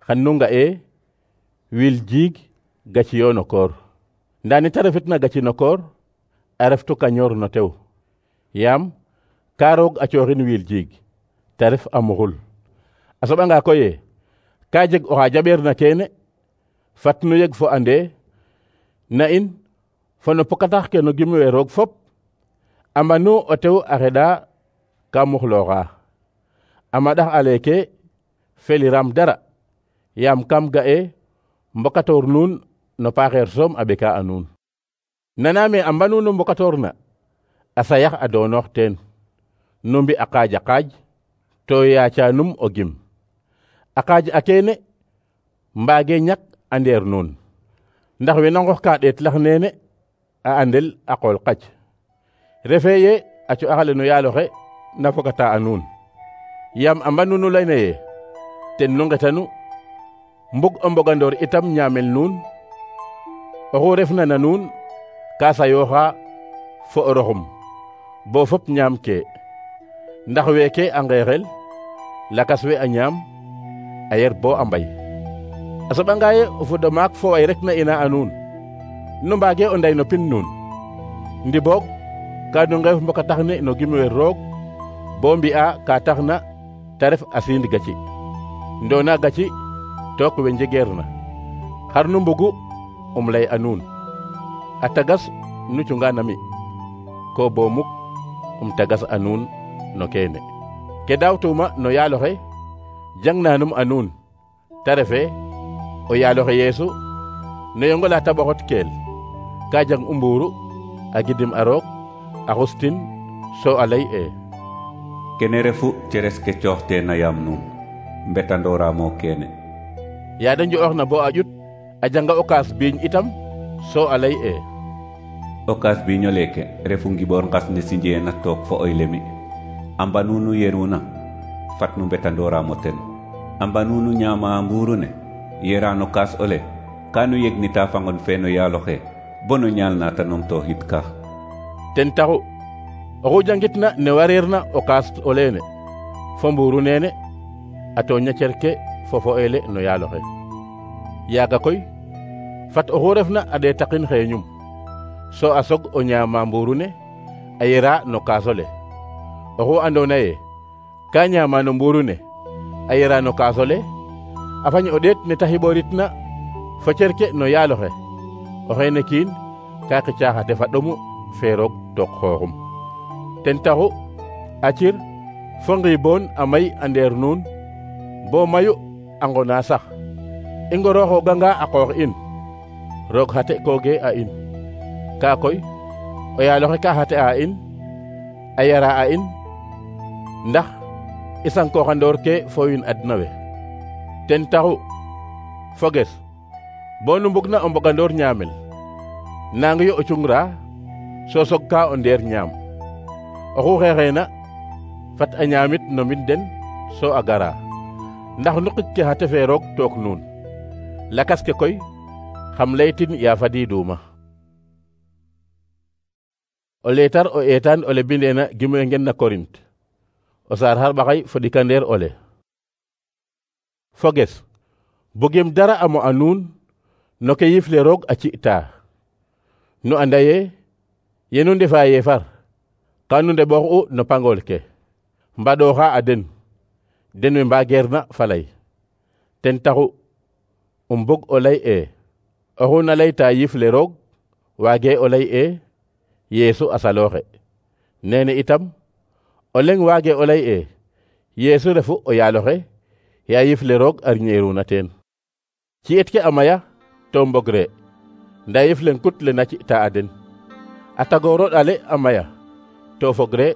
xan nu nga'e wiil jiig gaciyo no koor ndaa ne ta refitna gaci no koor a reftu kañoor no tew yaam ka roog a cooxin wiil jiig ta ref a muxul a soɓanga koye ka jeg oxa jaɓeerna keene fat nu yeg fo ande na in fo no pokatax ke no gimwe roog fop a mbanu o tew a xeɗa ka muxlooxa a maɗax a leeke feliram dara yaam kam ga'e mbokatoor nuun no paaxeer soom a ɓeka a nuun naname a mbanu nu mbokatoor na a sayax a doonoox teen nu mbi a qaaj a qaaj to yaaca num o gim a qaaj a keene mbaage ñak a ndeer nuun ndax we na nqox ka ɗeet lax neene a andel a qool qac refe ye a co'axale no yaaloxe na fogata a nuun yaam a mbanu nu layna ye ten nu ngetanu mbug o mbogandoor itam ñaamel nuun oxu refna na nuun ka sayooxa fo o roxum bo fop ñaam ke ndax weeke a ngeexel lakas we a ñaam a yer bo a mbay a soɓanga ye o fudo maak fo way rek na ina a nuun nu mbaage o nday no pin nuun ndi boog ka nu ngeef mbokatax ne no gimwe roog bo mbi'a ka taxna ta ref a siind gaci ndoona gaci took we njegeer na xar nu mbugu um lay a nuun a tagas nu cunga nami ko bo muk um tagas a nuun no keene ke daawtuma no yaaloxe jangnanum a nuun ta refe o yaaloxe Yeesu no yongola ta ɓoxot keel ka jang u mbuuru a gidim a roog a xustin so a lay e kene refu ceres ke cooxteena yaam nuun mbetandoramo keene yaada njo'oxna bo a ƴut a janga o kaas biiñ itam so a lay e o kaas biiño leeke refu ngiɓoor ngas ne sinjeena took fo oy lemi a mbanunu yeruna fat nu mbetandoramo ten a mbanunu ñaama mbuuru ne yerano kaas ole ka nu yegnita fangon fe no yaaloxe bo no ñaalna ta numtooxid ka ten taxu oxu jangitna ne wareerna o kaas oleene fo mbuuru neene a tooña cerke fo fo'eele no yaaloxe yaaga koy fat oxu refna a ɗeetaqin xeeñum so a sog o ñaama mbuuru ne a yera no kaas ole oxu andoona ye ka ñaama no mbuuru ne a yera no kaas ole a fañ o ɗeet ne ta xiɓooritna fo cerke no yaaloxe oxeene kiin ka xicaa xa tefa ɗomu fee roog took xooxum ten taxu a cir fo ngiiboon a may a ndeer nuun bo mayu a ngona sax i ngorooxooganga a qoox in roog xate kooge a in ka koy o yaaloxe ka xate a in a yara a in ndax isankoxandoor ke fo wiin adna we. ten taxu foges bo nu mbugna o mbogandoor ñaamel nangi yo o cungra so sog ka o ndeer ñaam. oxu xeexeena fat a ñaamit no mbind den so a gara, ndax nuqik ke xa tefe roog took nuun. lakas ke koy xam laytin ya fadiiduma. o leetar o eetaan ole bindeena gimwe ngen na Korint o saar xarɓaxay fo ɗikandeer ole. foges bugim dara amo a nuun no ke yifle roog a ci'ta. nu anda ye yenu ndefa yeefar ka nu ndeɓox'u no pangol ke mbaɗoxa a den den we mbageerna falay. ten taxu um bug o lay e oxu na layta yifle roog waage o lay e Yeesu a salooxe. nene itam o leŋ waage o lay e Yeesu refu o yaaloxe ya yifle roog a riñeeruna teen. ci'et ke a maya to mbogre nda yifle kut le na ci'ta a den. a tagooro ɗale a maya to fogre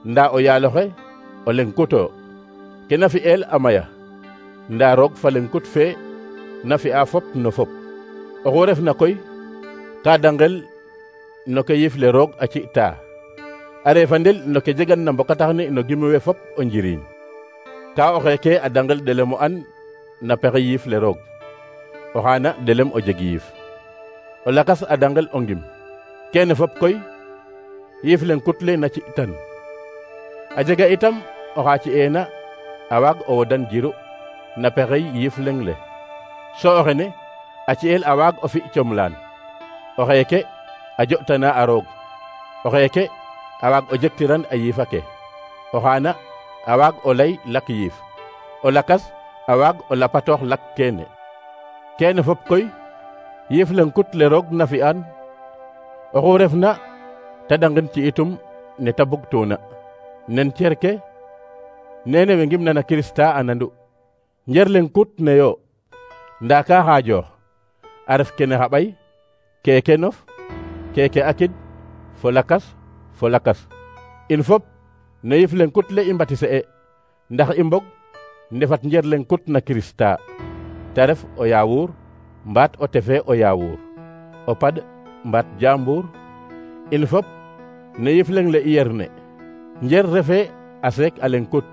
nda o yaaloxe o leŋ kuto ke na fi'el a maya nda roog fa leŋ kut fe na fi'a fop no fop. oxu refna koy ka dangel no ke yifle roog a ci'ta a refandel no ke jegan na mbokataxni no gimwe fop o njiriñ. ka o xeeke a dangel ɗelem o an na pexe yifle roog, o xaana ɗelem o jeg yiif. o lakas a dangel o ngim. kene fop koy yifle kut le na ci'tan. a jega itam oxa ci'eena a waag o wodan jiru na pexey yifleŋ le, so o xene a ci'el a waag o fi comlaan. o xeeke a jo'tana a roog, o xeeke a waag o jektiran a yiifa ke, o xaana a waag o lay lak yiif, o lakas a waag o lapatoox lak keene. keene fop koy yifle kut le roog na fi'an oxu refna ta dangin ci itum ne ta bugtuna. nen cer ke nene we ngimna na Kirista a nandu. njer len kut ne yo nda ka xaajoox a ref kene xa ɓay, keke nof, keke akid, fo lakas fo lakas. in fop no yif len kut le i mbatise e ndax i mbog ndefat njer len kut na Kirista, ta ref o yaawuur mbaat o tefe o yaawuur, o pad mbaat jaambur. in fop no yif leng le i yerne njer refe a seek a len kut,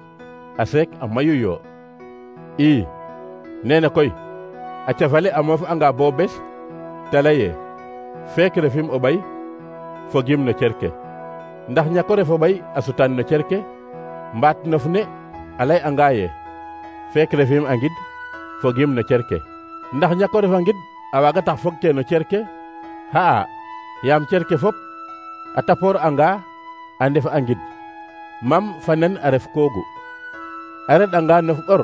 a seek a mayu yo. i nene koy a cafale a moof anga bo bes ta leye feek refim o ɓay fogim no cerke, ndax ñako ref o ɓay a sutan no cerke, mbaat nof ne a lay anga ye feek refim a ngid fogim no cerke, ndax ñako ref a ngid a waaga tax fog ke no cerke. xa'a yaam cerke fop a tapoor anga a ndef a ngid, mam fa nen a ref koogu, a reɗ'anga nof ɓor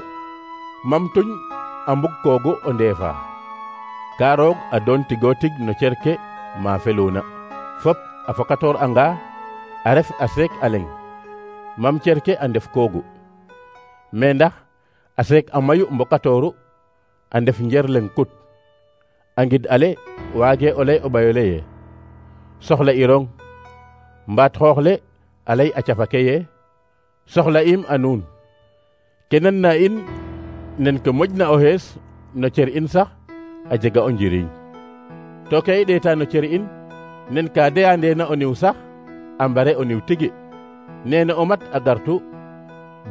mam tuñ a mbug koogu o ndeefa. ka roog a doon tigo tig no cerke ma feluna fop a fokatoor anga a ref a seek a leng, mam cerke a ndef koogu. me ndax a seek a mayu mbokatooru a ndef njer leng kut, a ngid ale waage o lay o ɓayole ye soxla irong, mbaat xoox le a lay a cafake ye soxla im a nuun. ke nan na in nen ke moƴna o xees no cer in sax a jega o njiriñ, to ke i ɗeeta no cer in nen ka deyandeena o niw sax a mbare o niw tigi. nene o mat a gartu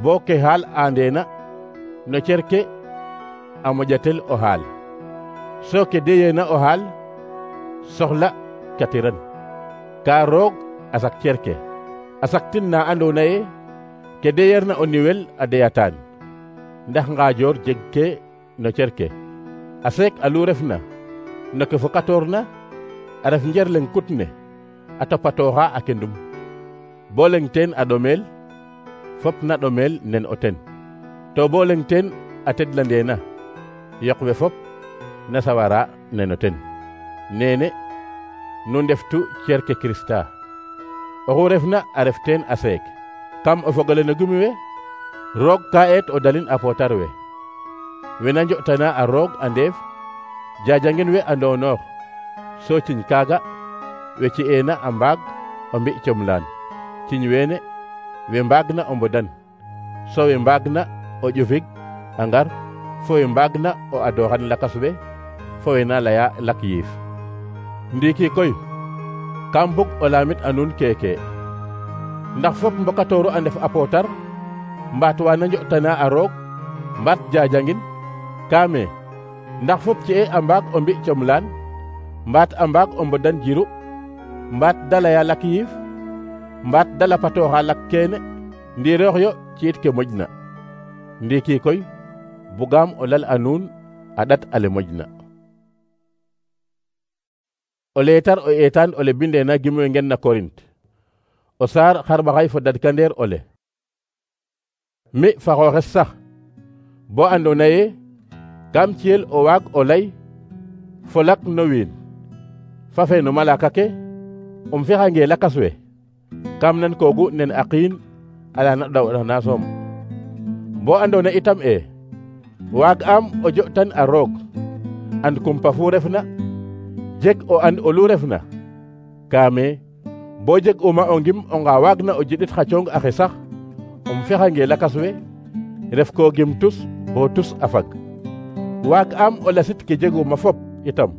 bo ke xaal andeena no cer ke a moƴatel o xaal, so ke deyeena o xaal soxla katiran. ka roog a sak cer ke a saktin na andoona ye ke deyeerna o niwel a deyataan, ndax ngaajoor jeg ke no cer ke. a seek alu refna no ke fokatoorna a ref njer leng kut ne a topatooxa a kendum, bo leng teen a ɗomeel fop na ɗomeel nen o ten, to bo leng teen a tedlandeena yoq we fop na sawara nen o ten. nene nu ndeftu cer ke Kirista, oxu refna a ref teen a seek. kam o fogole no gumi we roog ka eet o dalin a pootar we, wena njo'tana a roog a ndeef jajangin we a ndonoox, so ciñ kaaga we ci'eena a mbaag o mbi comlaan, ciñ weene we mbaagna o mbodan so we mbaag na o ƴufig a ngar fo we mbaag na o adoxan lakas we fo we na leya lak yiif. Ndiiki koy kam bug o lamit a nuun keke, ndax fop mbokatooru a ndef a pootar mbaat wana njo'tana a roog mbaat jajangin kaame ndax fop ci'e a mbaag o mbi' comlaan mbaat a mbaag o mbodan jiru mbaat da leya lak yiif mbaat da lapatooxa lak keene ndiiroox yo ci'it ke moƴna. Ndiiki koy bugaam o lal a nuun a ɗat ale moƴna. O leetar o eetaan ole bindeena gimwe ngen na Korint o saar xarɓaxay fo dadkandeer ole. Mi fa xooxes sax bo andoona yee kam ciyel o waag o lay fo lak no wiin fa fe no malaaka ke um fexange lakas we kam nan koogu nen a qiin ala na ɗawɗana soom. Bo andoona itam e waag am o jo'tan a roog and kumpa fu refna jeg o and olu refna kaame bo jeg uma o ngim onga waag na o jidit xa coong axe sax um fexange lakas we ref ko gim tus bo tus a fag. Waag am o lasit ke jeguma fop itam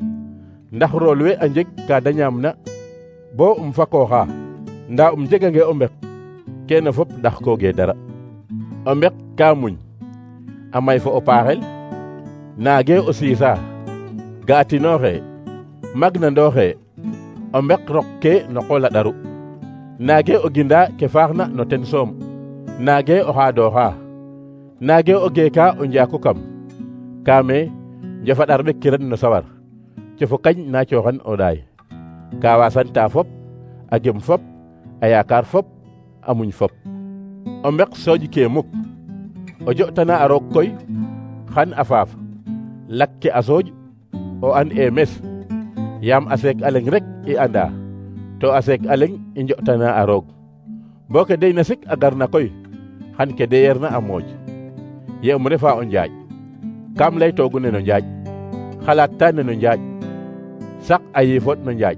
ndax rool we a njeg ka da ñaamna bo um fakooxa nda um jegange o mbek kene fop ndax kooge dara. O mbek ka muñ a may fo o paaxel naage o siisa ga'atinooxe magnandooxe o mbek rok ke no qool a ɗaru naage o ginda ke faaxna no ten soom naage o xaadooxa naage o geeka o njaaku kam kaame njofaɗar ɓek kiran no sawar cofo kañ na cooxan o ɗaay ka wasanta fop a gem fop a yaakaar fop a muñ fop. O mbek sooj ke muk o jo'tana a roog koy xan a faaf lak ke a sooj o an e mes yaam a seek a leŋ rek i anda to a seek a leŋ i njo'tana a roog bo ke deyna sik a garna koy xan ke deyeerna a mooj. Ye um refa o njaaƴ kam laytoogu neno njaaƴ xalaat ta neno njaaƴ sak a yiifot no njaaƴ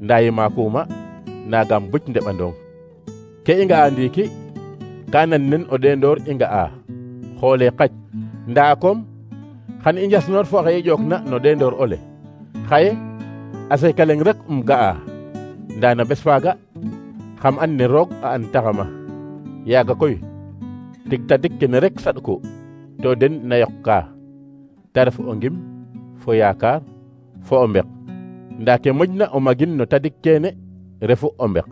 nda yimaakuma naagam buc ndeɓandong. Ke i nga'a ndiiki ka nan nen o ɗeendoor i nga'a xoole qac ndaa kom xan i njasnoor fo xe i ƴookna no ɗeendoor ole xaye a seeka leŋ rek um ga'a ndaa na bes faaga xam an ne roog a an taxama yaaga koy tig tadik kene rek saɗku to den na yoqka ta ref o ngim fo yaakaar fo o mbek ndaa ke moƴna o magin no tadik kene refu o mbek.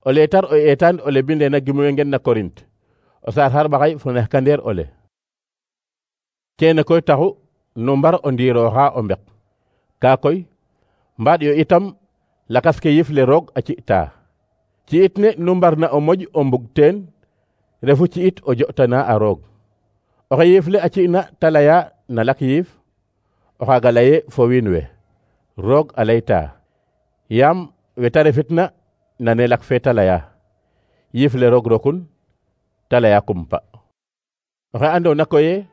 O leetar o eetaan ole bindeena gimwe ngen na Korint o saar xarɓaxay fo nexkandeer ole. Kene koy taxu nu mbar o ndiirooxa o mbek kaa koy mbaaɗ yo itam lakas ke yif le roog a ci'ta ci'it ne nu mbarna o moƴ o mbug teen refu ci'it o jo'tana a roog. Oxe yiif le a ci'na ta leya na lak yiif o xaaga leye fo wiin we roog a layta yaam we ta refitna nane lak fe ta leya yiif le roog rokun ta leya kumpa. Oxe andoona koye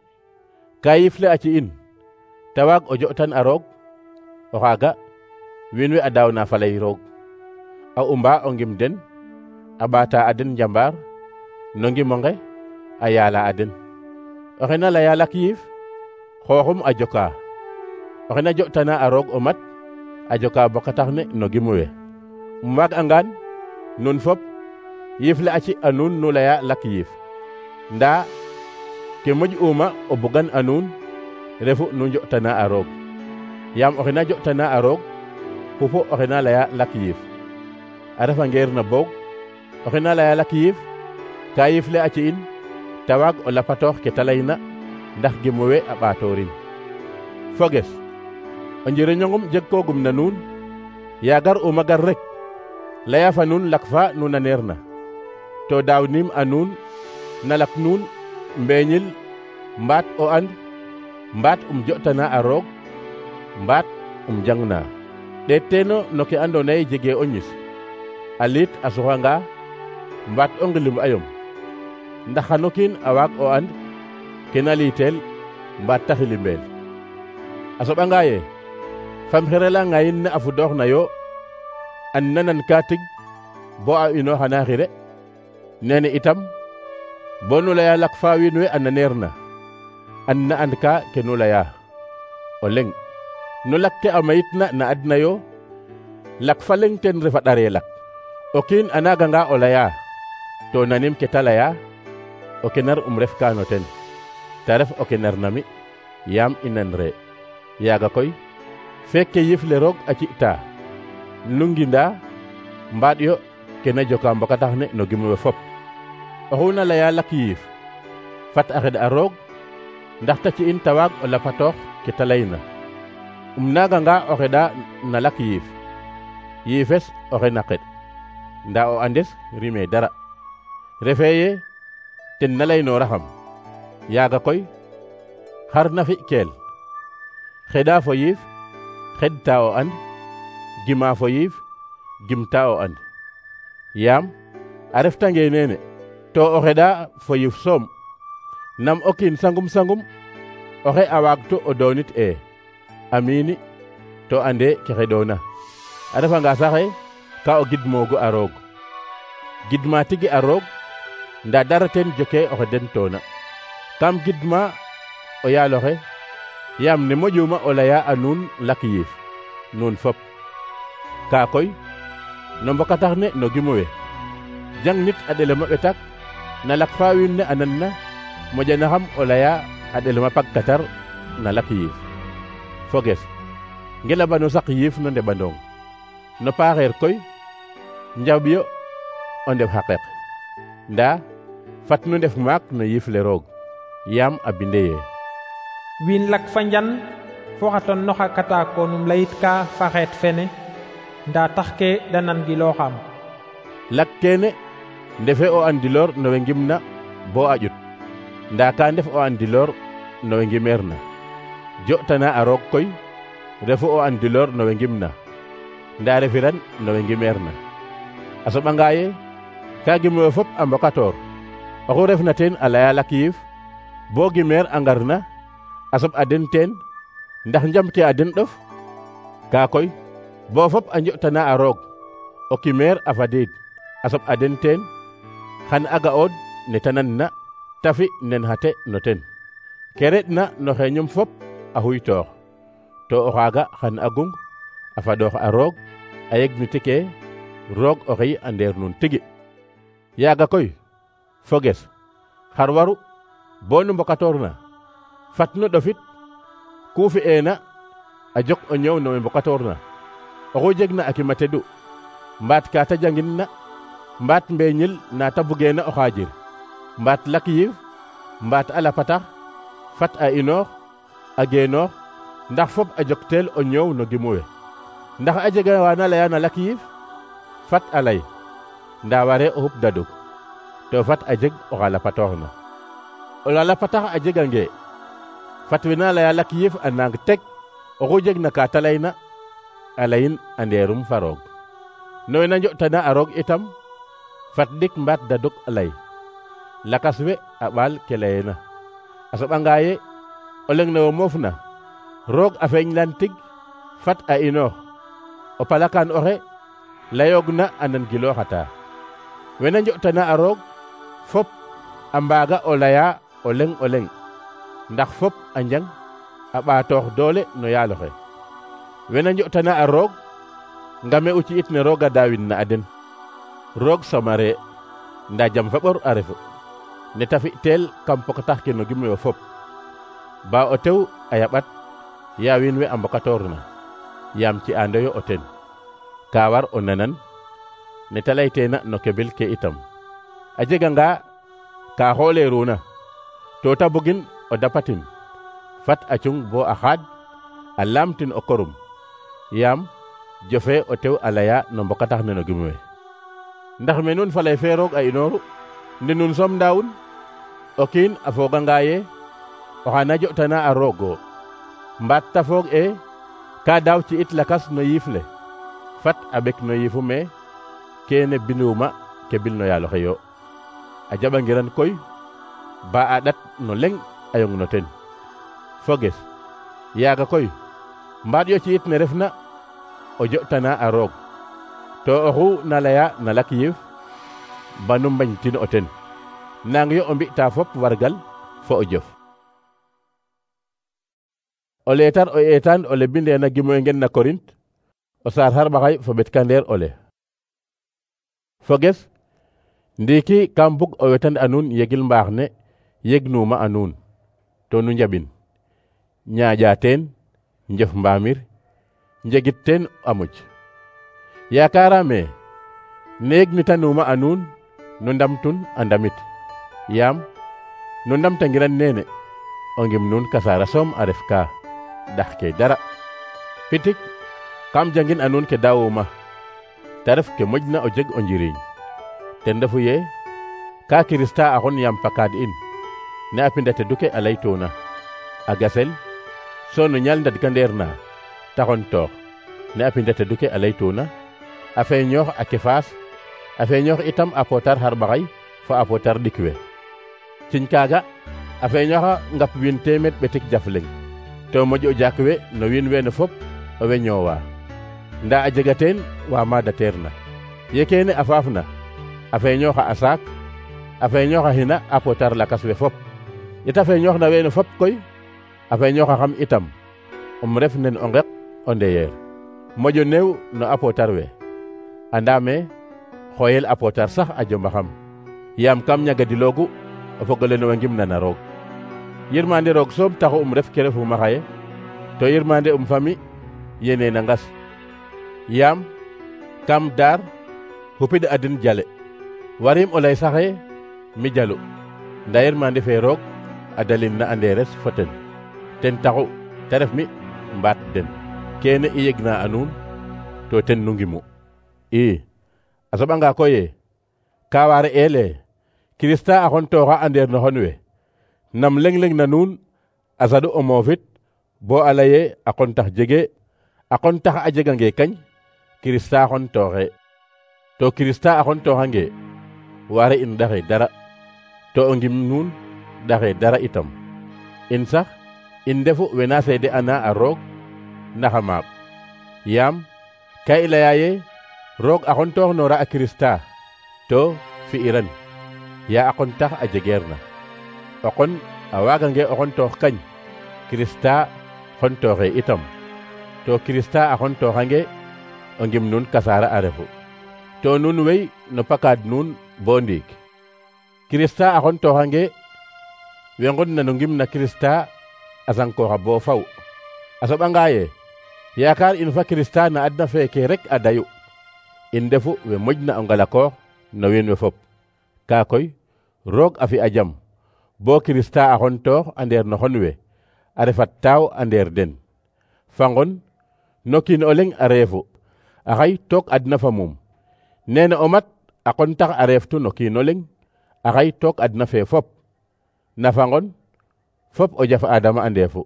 ka yiif le a ci'in ta waag o jo'tan a roog o xaaga wiin we a daawna faley roog a umba o ngim den a ɓaata a den njambaar no ngimonge a yaala a den. Oxe na leya lak yiif xooxum a joka oxe na jo'tana a roog o mat a joka bokatax ne no gimu we. Um waag angaan nun fop yiif le a ci a nuun nu leya lak yiif ndaa ke moƴ uma o bugan a nuun refu nu njo'tana a roog yaam oxe na jo'tana a roog xupu oxe na leya lak yiif a refa ngeer na boog oxe na leya lak yiif ka yiif le a ci'in ta waag o lapatoox ke ta layna ndax gimu we a ɓaatoorin. Foges o njiriñongum jeg koogum na nuun yaagar uma gar rek leya fa nuun lak fa nu naneer na to daawniim a nuun na lak nuun mbeeñil mbaat o and mbaat um jo'tana a roog mbaat um jangna ɗeet teeno no ke andoona yee jegee o ñis a liit a suxanga mbaat o ngilim ayom ndax xano kiin a waag o and ke na liiteel mbaat ta xilimbeel. A soɓanga yee fam xirela ngayin ne a fudoox na yo an nanan ka tig bo a inooxana xire nene itam bo nu leya lak fa wiin we a naneer na an na and ka ke nu leya o leŋ nu lak ke a mayit na na adna yo lak fa leŋ ten refa ɗare lak o kiin a naganga o leya to nanim ke ta leya o kenar um ref ka no ten ta ref o kenar nami yaam i nan re yaaga koy fekke yif le roog a ci'ta nu nginda mbaaɗ yo ke na joka mbokatax ne no gim we fop oxu na leya lak yiif fat a xeɗ a roog ndax ta ci'in ta waag o lapatoox ke ta layna um naganga o xeɗa na lak yiif yiifes oxe na xeɗ nda o andes rime dara refe ye ten na laynooraxam yaaga koy xar na fi keel xeɗa fo yiif xeɗta o and gima fo yiif gimta o and yaam a reftange nene to o xeɗa fo yiif soom nam o kiin sangum sangum oxe a waagtu o doonit e amiini to ande ke xeɗoona a refanga saxe ka o gidmoogu a roog gidma tigi a roog nda dara ten joke oxe den toona kam gidma o yaaloxe yaam ne moƴuma o leya a nuun lak yiif nuun fop ka koy no mbokatax ne no gimo we jang nit a ɗelema ɓetak na lak fa wiin ne a nan na moƴanaxam o leya a ɗelema pagkatar na lak yiif foges ngelabano sak yiif no ndeɓandong no paaxeer koy njaɓ yo o ndef xaqeq nda fat nu ndef maak no yiif le roog yaam a binde ye wiin lak fa njan fo xa ton noxa katakonum layit ka fa xeet fene nda tax ke da nan gilooxam lak kene ndefe o andiloor no we ngimna bo a ƴut nda ka ndef o andiloor no we ngimeer na jo'tana a roog koy refu o andiloor no we ngimna nda refiran no we ngimeer na a soɓanga ye ka gimwe fop a mbokatoor oxu refna teen a leya lak yiif bo gimeer a ngarna a soɓ a den teen ndax njam ke a den ɗof ka koy bo fop a njo'tana a roog o kimeer a fadiid a soɓ a den teen xan a ga'ood ne ta nanna ta fi nen xate no ten ke reɗna no xeeñum fop a xuytoox to o xaaga xan a gung a fadoox a roog a yegniti ke roog oxey a ndeer nuun tigi yaaga koy foges xar waru bo nu mbokatoorna fat nu ɗofit ku fi'eena a jok o ñëw no we mbokatoorna oxu jegna a kima tedu mbaat ka ta jangin na mbaat mbeeñil na ta bugeena o xaajir mbaat lak yiif mbaat a lapatax fat a inoox a geenoox ndax fop a jokteel o ñëw no gimu we ndax a jega waana leya na lak yiif fat a lay nda ware o xup daduk to fat a jeg oxa lapatooxna o la lapatax a jegange fat wena leya lak yiif a nang teg oxu jegna ka ta layna a layin a ndeerum fa roog no wena njo'tana a roog itam fat dik mbaat daduk a lay lakas we a ɓaal ke layeena a soɓanga ye o leŋ ne wo moofna roog a feeñlan tig fat a inoox o palakaan oxe layoogna a nan gilooxata wena njo'tana a roog fop a mbaaga o leya o leŋ o leŋ ndax fop a njang a ɓaatoox doole no yaaloxe wena njo'tana a roog ngame u ci'it ne roog a daawin na a den roog somare nda jam fa ɓor a refu ne ta fi'teel kam pokatax ke no gimwe fop ba o tew a yaɓat ya wiin we a mbokatoorna yaam ci andoyo o ten ka war o nanan ne ta layteena no keɓel ke itam a jeganga ka xooleeruna to ta bugin o dapatin fat a cung bo a xaad a laamtin o korum yaam jofe o tew a leya no mbokatax ne no gimwe ndax me nun falay fe roog a inooru ndi nun som ndaawun o kiin a fooganga ye oxa na jo'tana a roogo mbaat ta foog e ka daaw ci it lakas no yiif le fat a ɓek no yiifu me kene binuma ke bil no yaaloxe yo a jaɓangiran koy ba a ɗat no leŋ a yong no ten foges yaaga koy mbaaɗ yo ci it ne refna o jo'tana a roog to oxu na leya na lak yiif banu mbañtin o ten nang yo o mbi'ta fop wargal fo o jof. O leetar o eetaan ole bindeena gimoy ngen na Korint o saar xarɓaxay fo ɓetkandeer ole. Foges ndiiki kam bug o wetan a nuun yegil mbaax ne yegnuma a nuun to nu njaɓin ñaaƴa teen njef mbaamir njegit teen a muj. yaakaarame ne yegnitanuma a nuun nu ndamtun a ndamit yaam nu ndamtangiran neene o ngim nuun kasaara soom a ref ka ɗax ke dara. pitik kam jangin a nuun ke daawuma te ref ke moƴna o jeg o njiriñ ten refu ye ka Kirista a xon yaam pakaad in ne a pinda tedu ke a laytuna a gasel so no ñaal ndadkandeer na te xon toox ne a pinda tedu ke a laytuna a feeñoox a kefaas a feeñoox itam a pootar xarɓaxay fo a pootar ɗikwe ciñ kaaga a feeñooxa ngap wiin teemeed ɓetik jaf leŋ to moƴo jaak we no wiin weene fop owe ñoowa nda a jega teen wa maadateer na ye keene a faafna a feeñooxa a saak a feeñooxa xina a pootar lakas we fop yeta feeñoox na weene fop koy a feeñooxa xam itam um ref nen o ngeq o ndeyeer moƴo neew no a pootar we andaame xooyel a pootar sax a jomba xam yaam kam ñagadiloogu o fogole no we ngimna roog. yirmande roog soom taxu um ref ke refuma xaye to yirmande um fami yene na ngas yaam kam daar xupid adin jale warim o lay saxe mi jalu nda yirmande fe roog a dalin na anderes fo ten ten taxu te ref mi mbaat den kene i yegna a nuun to ten nu ngimu i a soɓanga koye ka ware ele Kirista a xon tooxa andeer no xon we nam leŋ-leŋ na nuun a saɗu o moofit bo a laye a qontax jege a qontax a jegange kañ Kirista xon tooxe to Kirista a xon tooxange ware in ɗaxe dara to o ngim nuun ɗaxe dara itam in sax in ndefu wena seede ana a roog naxa maak yaam ka i laya ye roog a xon toox noora a Kirista to fi'iran ya a qontax a jegeer na o qon a waagange o xon toox kañ Kirista xon tooxe itam to Kirista a xon tooxange o ngim nuun kasaara a refu to nuun wey no pakaad nuun bo ndiik Kirista a xon tooxange we ngodna no ngim na Kirista a sankooxa bo faw a soɓanga ye yaakaar in fa Kirista na adna feeke rek a dayu in ndefu we moƴna o ngalakoox no wiin we fop kaa koy roog a fi a jam bo Kirista a xon toox a ndeer no xon we a refat taaw a ndeer den fangon no kiin o leŋ a reefu a xay took adna fa mum nene o mat a qontax a reeftu no kiin o leŋ a xay took adna fee fop na fangon fop o jaf Adama a ndeefu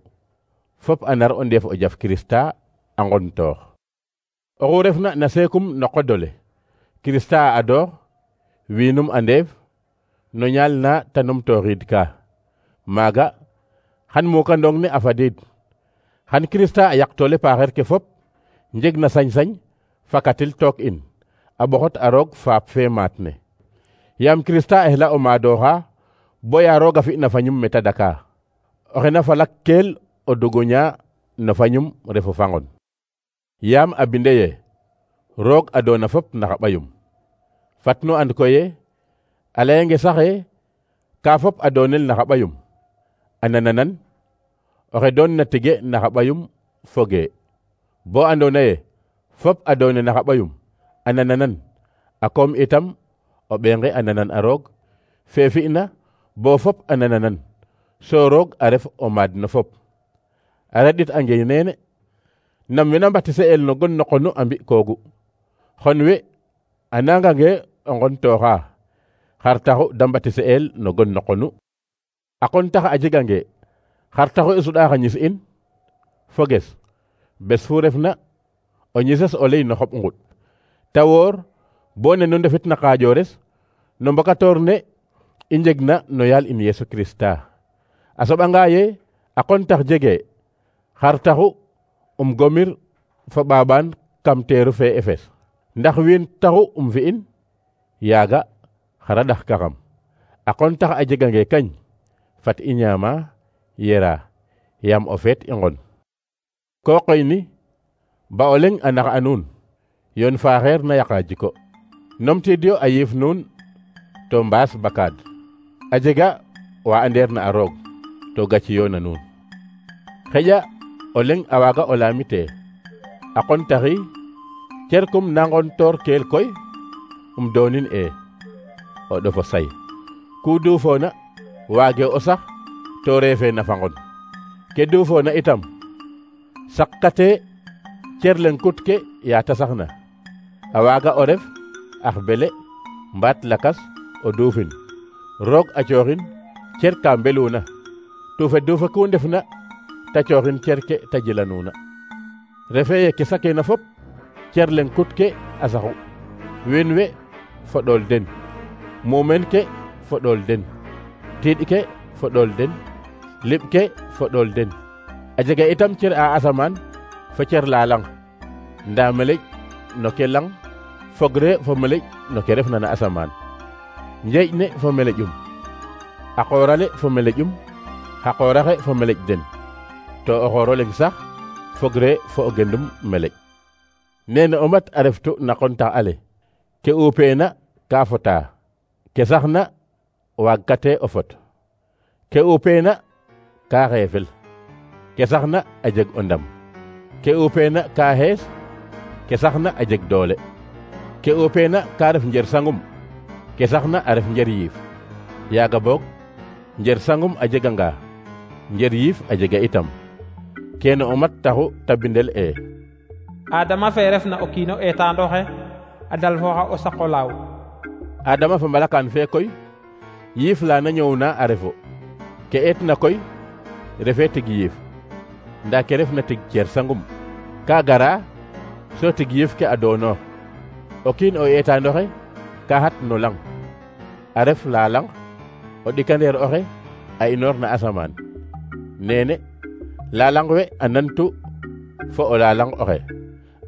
fop a nar o ndeef o jaf Kirista a ngon toox oxu refna na seekum no qodole Kirista a adoox wiinum a ndeef no ñaal na ta numtooxiid ka maaga xan mukandong ne a fadiid xan Kirista a yaqtoole paaxeer ke fop njeg na sañ-sañ fakatil took in a ɓoxot a roog faap fe maat ne yaam Kirista a xela o maadooxa boya roog a fi'na fañum meta daka oxe na falak keel o duguña no fañum refu fangon yaam a binde ye roog a doona fop naxa ɓayum fat nu and koye a layenge saxe ka fop a doonel naxa ɓayum a nananan oxe doon na tige naxa ɓayum foge bo andoona ye fop a doone naxa ɓayum a nananan a koom itam o ɓeenge a nanan a roog fe fi'na bo fop a nananan so roog a ref o maad no fop a reɗit ange neene nam wena mbatise'el no gon no qonu a mbi'koogu xon we a nangange o ngon tooxa xar taxu da mbatise'el no gon no qonu a qon tax a jegange xar taxu i suɗa xa ñis in foges bes fu refna o ñises o ley no xoɓ nguɗ ta woor bo ne nu ndefit na qaajores no mbokatoor ne i njegna no yaal in Yesu Kirista a soɓanga ye a qon tax jege xar taxu um gomir fo ɓaaɓaan kam teeru fe Efes ndax wiin taxu um fi'in yaaga xara ɗax kaxam a qon tax a jegange kañ fat i ñaama yera yaam o feet i ngon ko qoy ni ba o leŋ a nax a nuun yoon faaxeer na yaqa jiko nomtiid yo a yiif nuun to mbaas bakaad a jega wa andeer na a roog to gaci yo na nuun xeƴa o leŋ a waaga o laamite a qon taxi cerkum nangon toor keel koy um doonin e o ɗofo say ku duufoona waage o sax to reefe na fangon ke duufoona itam saqate cer leŋ kut ke yaa ta saxna a waaga o ref ax bele mbaat lakas o duufin roog a cooxin cer ka mbeluuna tuufe duufa ku ndefna ta cooxin cer ke ta jilanuuna refe ye ke sakeena fop cer leŋ kut ke a saxu wiin we fo ɗool den muumeen ke fo ɗool den tiiɗ ke fo ɗool den liɓ ke fo ɗool den a jega itam cer a asamaan fo cer la lang ndaa meleƴ no ke lang fogre fo meleƴ no ke refna na asamaan njeeƴ ne fo meleƴum a qoorale fo meleƴum xa qooraxe fo meleƴ den to o xooro leŋ sax fogre fo o gendum meleƴ nene o mat a reftu na qontax ale ke uupeena ka fota ke saxna waagkate o fot ke uupeena ka xeefel ke saxna a jeg o ndam ke uupeena ka xees ke saxna a jeg doole ke uupeena ka ref njer sangum ke saxna a ref njer yiif yaaga boog njer sangum a jeganga njer yiif a jega itam kene o mat taxu ta bindel e adama fe refna o kiino eetaandoxe a dalfooxa o saqo laaw adama fa mbalakaan fe koy yiif la na ñoowna a refo ke eetna koy refe tig yiif ndaa ke refna tig cer sangum ka gara so tig yiif ke a doonoox o kiin o eetaandoxe ka xat no lang a ref la lang o ɗikandeer oxe a inoor na asamaan nene la lang we a nantu fo o la lang oxe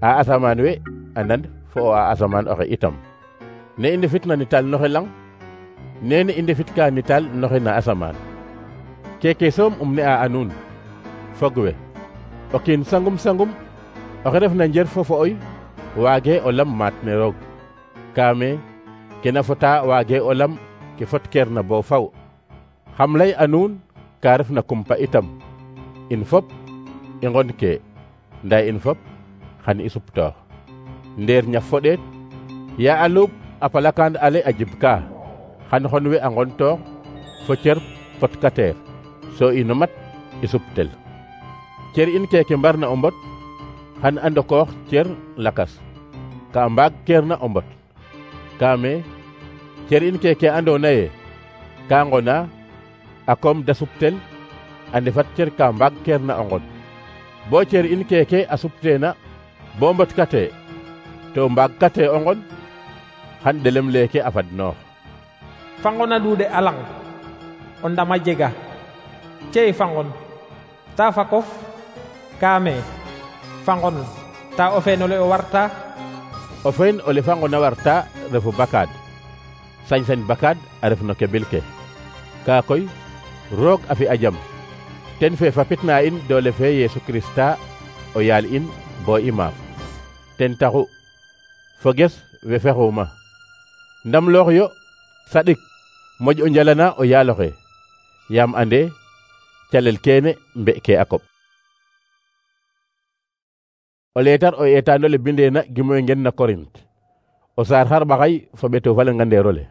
a asamaan we a nan fo o a asamaan oxe itam ne i ndefitna nital noxe lang nene i ndefitka nital noxe na asamaan keke soom um ne a a nuun fog we o kiin sangum sangum oxe refna njer fo fo'oy waage o lam maat ne roog kaame kena fota waage o lam ke fot keer na bo faw xam lay a nuun ka refna kumpa itam in fop i ngon ke ndaa in fop xan i suptoox ndeer ñaf fo ɗeet ya a luub a palakaan ale a jib ka xan xon we a ngon toox fo cer potkateer so ino mat i suptel cer in keke mbarna o mbot xan a ndokoox cer lakas ka mbaag keer na o mbot kaame cer in keke andoona ye ka ngona a koom da suptel a ndefat cer ka mbaag keer na o ngon bo cer in keke a supteena bo mbot kate to mbaag kate o ngon xan ɗelem leeke a fadnoox fangon a duude a lang o ndama jega cey fangon ta fakof kaame fangon ta o feenole o warta o feen ole fangon a warta refu bakaad sañ-sañ bakaad a ref no kebil ke kaa koy roog a fi a jam ten fe fapitna in doole fe Yeesu Krista o yaal in bo i maaf ten taxu foges we fexuuma ndam loox yo saɗik moƴ o njalana o yaaloxe yaam ande calel kene mbe ke a koɓ o leetar o eetaanole bindeena gimoy ngen na Korint o saar xarɓaxay fo ɓeto falengandeerole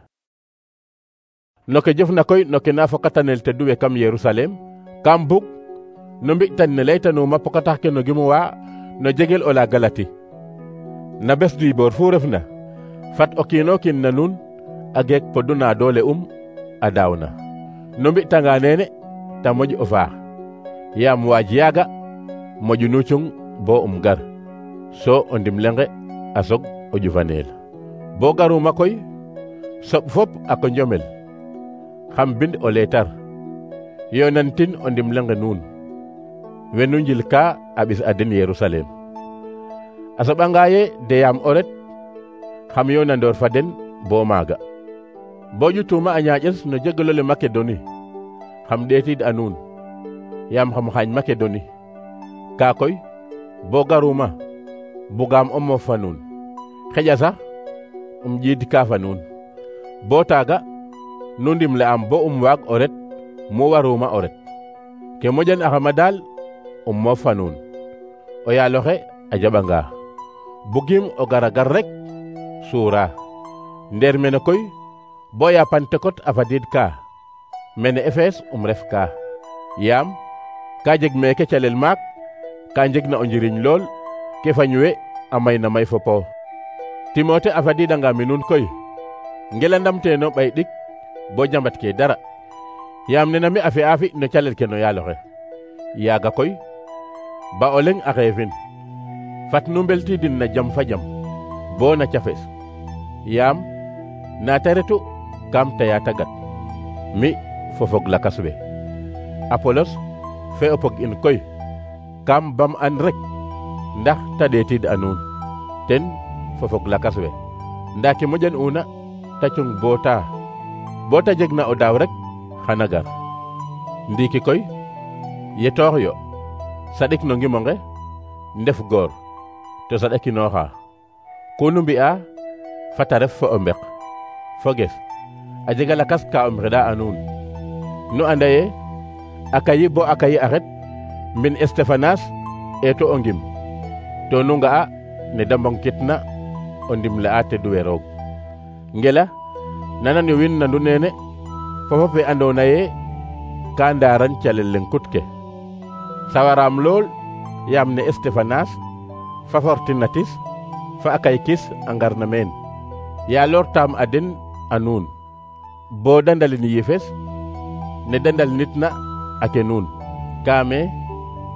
no ke jofna koy no ke na fokatanel te duwe kam Yerusalem kam bug no mbi'tan ne laytanuuma pokatax ke no gimuwa no jegel o la Galati na bes diiboor fu refna fat o kiino kiin na nuun a geek poduna doole um a daawna no mbi'tanga neene ta moƴ o faax yaam waaj yaaga moƴu nu cung bo um gar so o ndimlenge a sog o ƴufaneel bo garuma koy soɓ fop a ko njomel xam bind o leetar yonantin o ndimlenge nuun wenu njil ka a ɓis a den Yerusalem a soɓanga ye deyam o ret xam yonandoor fa den bo maaga bo ƴutuma a ñaaƴes no jegelole Makedoni xam ɗeetid a nuun yaam xam xaañ Makedoni kaa koy bo garuma bugaam o moof fa nuun xeƴa sax um ƴiid kaa fa nuun bo taaga nu ndimle am bo um waag o ret mu waruma o ret ke moƴan axama daal um moof fa nuun o yaaloxe a jaɓanga bugim o gara gar rek suura ndeer mene koy bo ya Pantekot a fadiid kaa mene Efes um ref kaa yaam ka jeg meeke calel maak ka njeg na o njiriñ lool ke fañ we a may na may fopo Timote a fadiidanga mi nuun koy ngelandam teeno ɓay ɗik bo jambat ke dara yaam nena mi a fi'a fi no calel ke no yaaloxe yaaga koy ba o leŋ a xeefin fat nu mbeltidin na jam fa jam bo na cafes yaam naata retu kam taya tagat mi fo fog lakas we Apolos fe o pog in koy kam bam an rek ndax ta ɗeetid a nuun ten fo fog lakas we ndaa ke moƴan una ta cung bo ta bo ta jeg na o daaw rek xana gar ndiiki koy yetoox yo saɗik no ngimonge ndef goor to saɗakinooxa kunu mbi'a fata ref fo o mbek foges a jega lakas ka um xeɗa a nuun nu anda ye a kayi bo a kayi axet mbin Estefanas eeto o ngim to nu nga'a ne da mbongkitna o ndimle a teduwe roog ngela nanan yo win nandu nene fofo fe andoona ye ka ndaaran calel leŋ kut ke sawaraam lool yaam ne Estefanas fa Fortunatis fa a kay kis a ngarna meen ya lortaam a den a nuun bo da ndalin yifes ne da ndalnitna a ke nuun kaame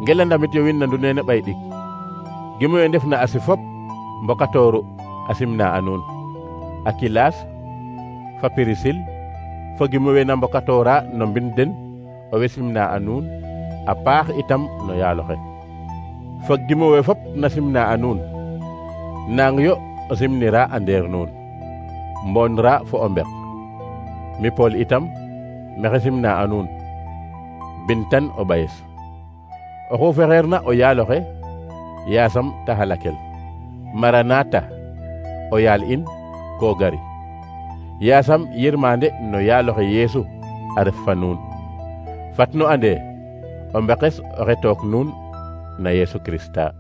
ngelandamit yo win nandu nene ɓay ɗik gimo we ndef na asi fop mbokatooru a simna a nuun Akilas fa Pirisil fo gimo we na mbokatoora no mbin den owe simna a nuun a paax itam no yaaloxe fo gimo we fop na simna a nuun naang yo o simnira a ndeer nuun mboonra fo o mbek mi Pool itam maxey simna a nuun bintan o ɓayes oxu fexeerna o yaaloxe yaasam ta halakel Maranata o yaal in ko gari yaasam yirmande no yaaloxe Yeesu a ref fa nuun fat nu ande o mbekes oxe took nuun na Yeesu Krista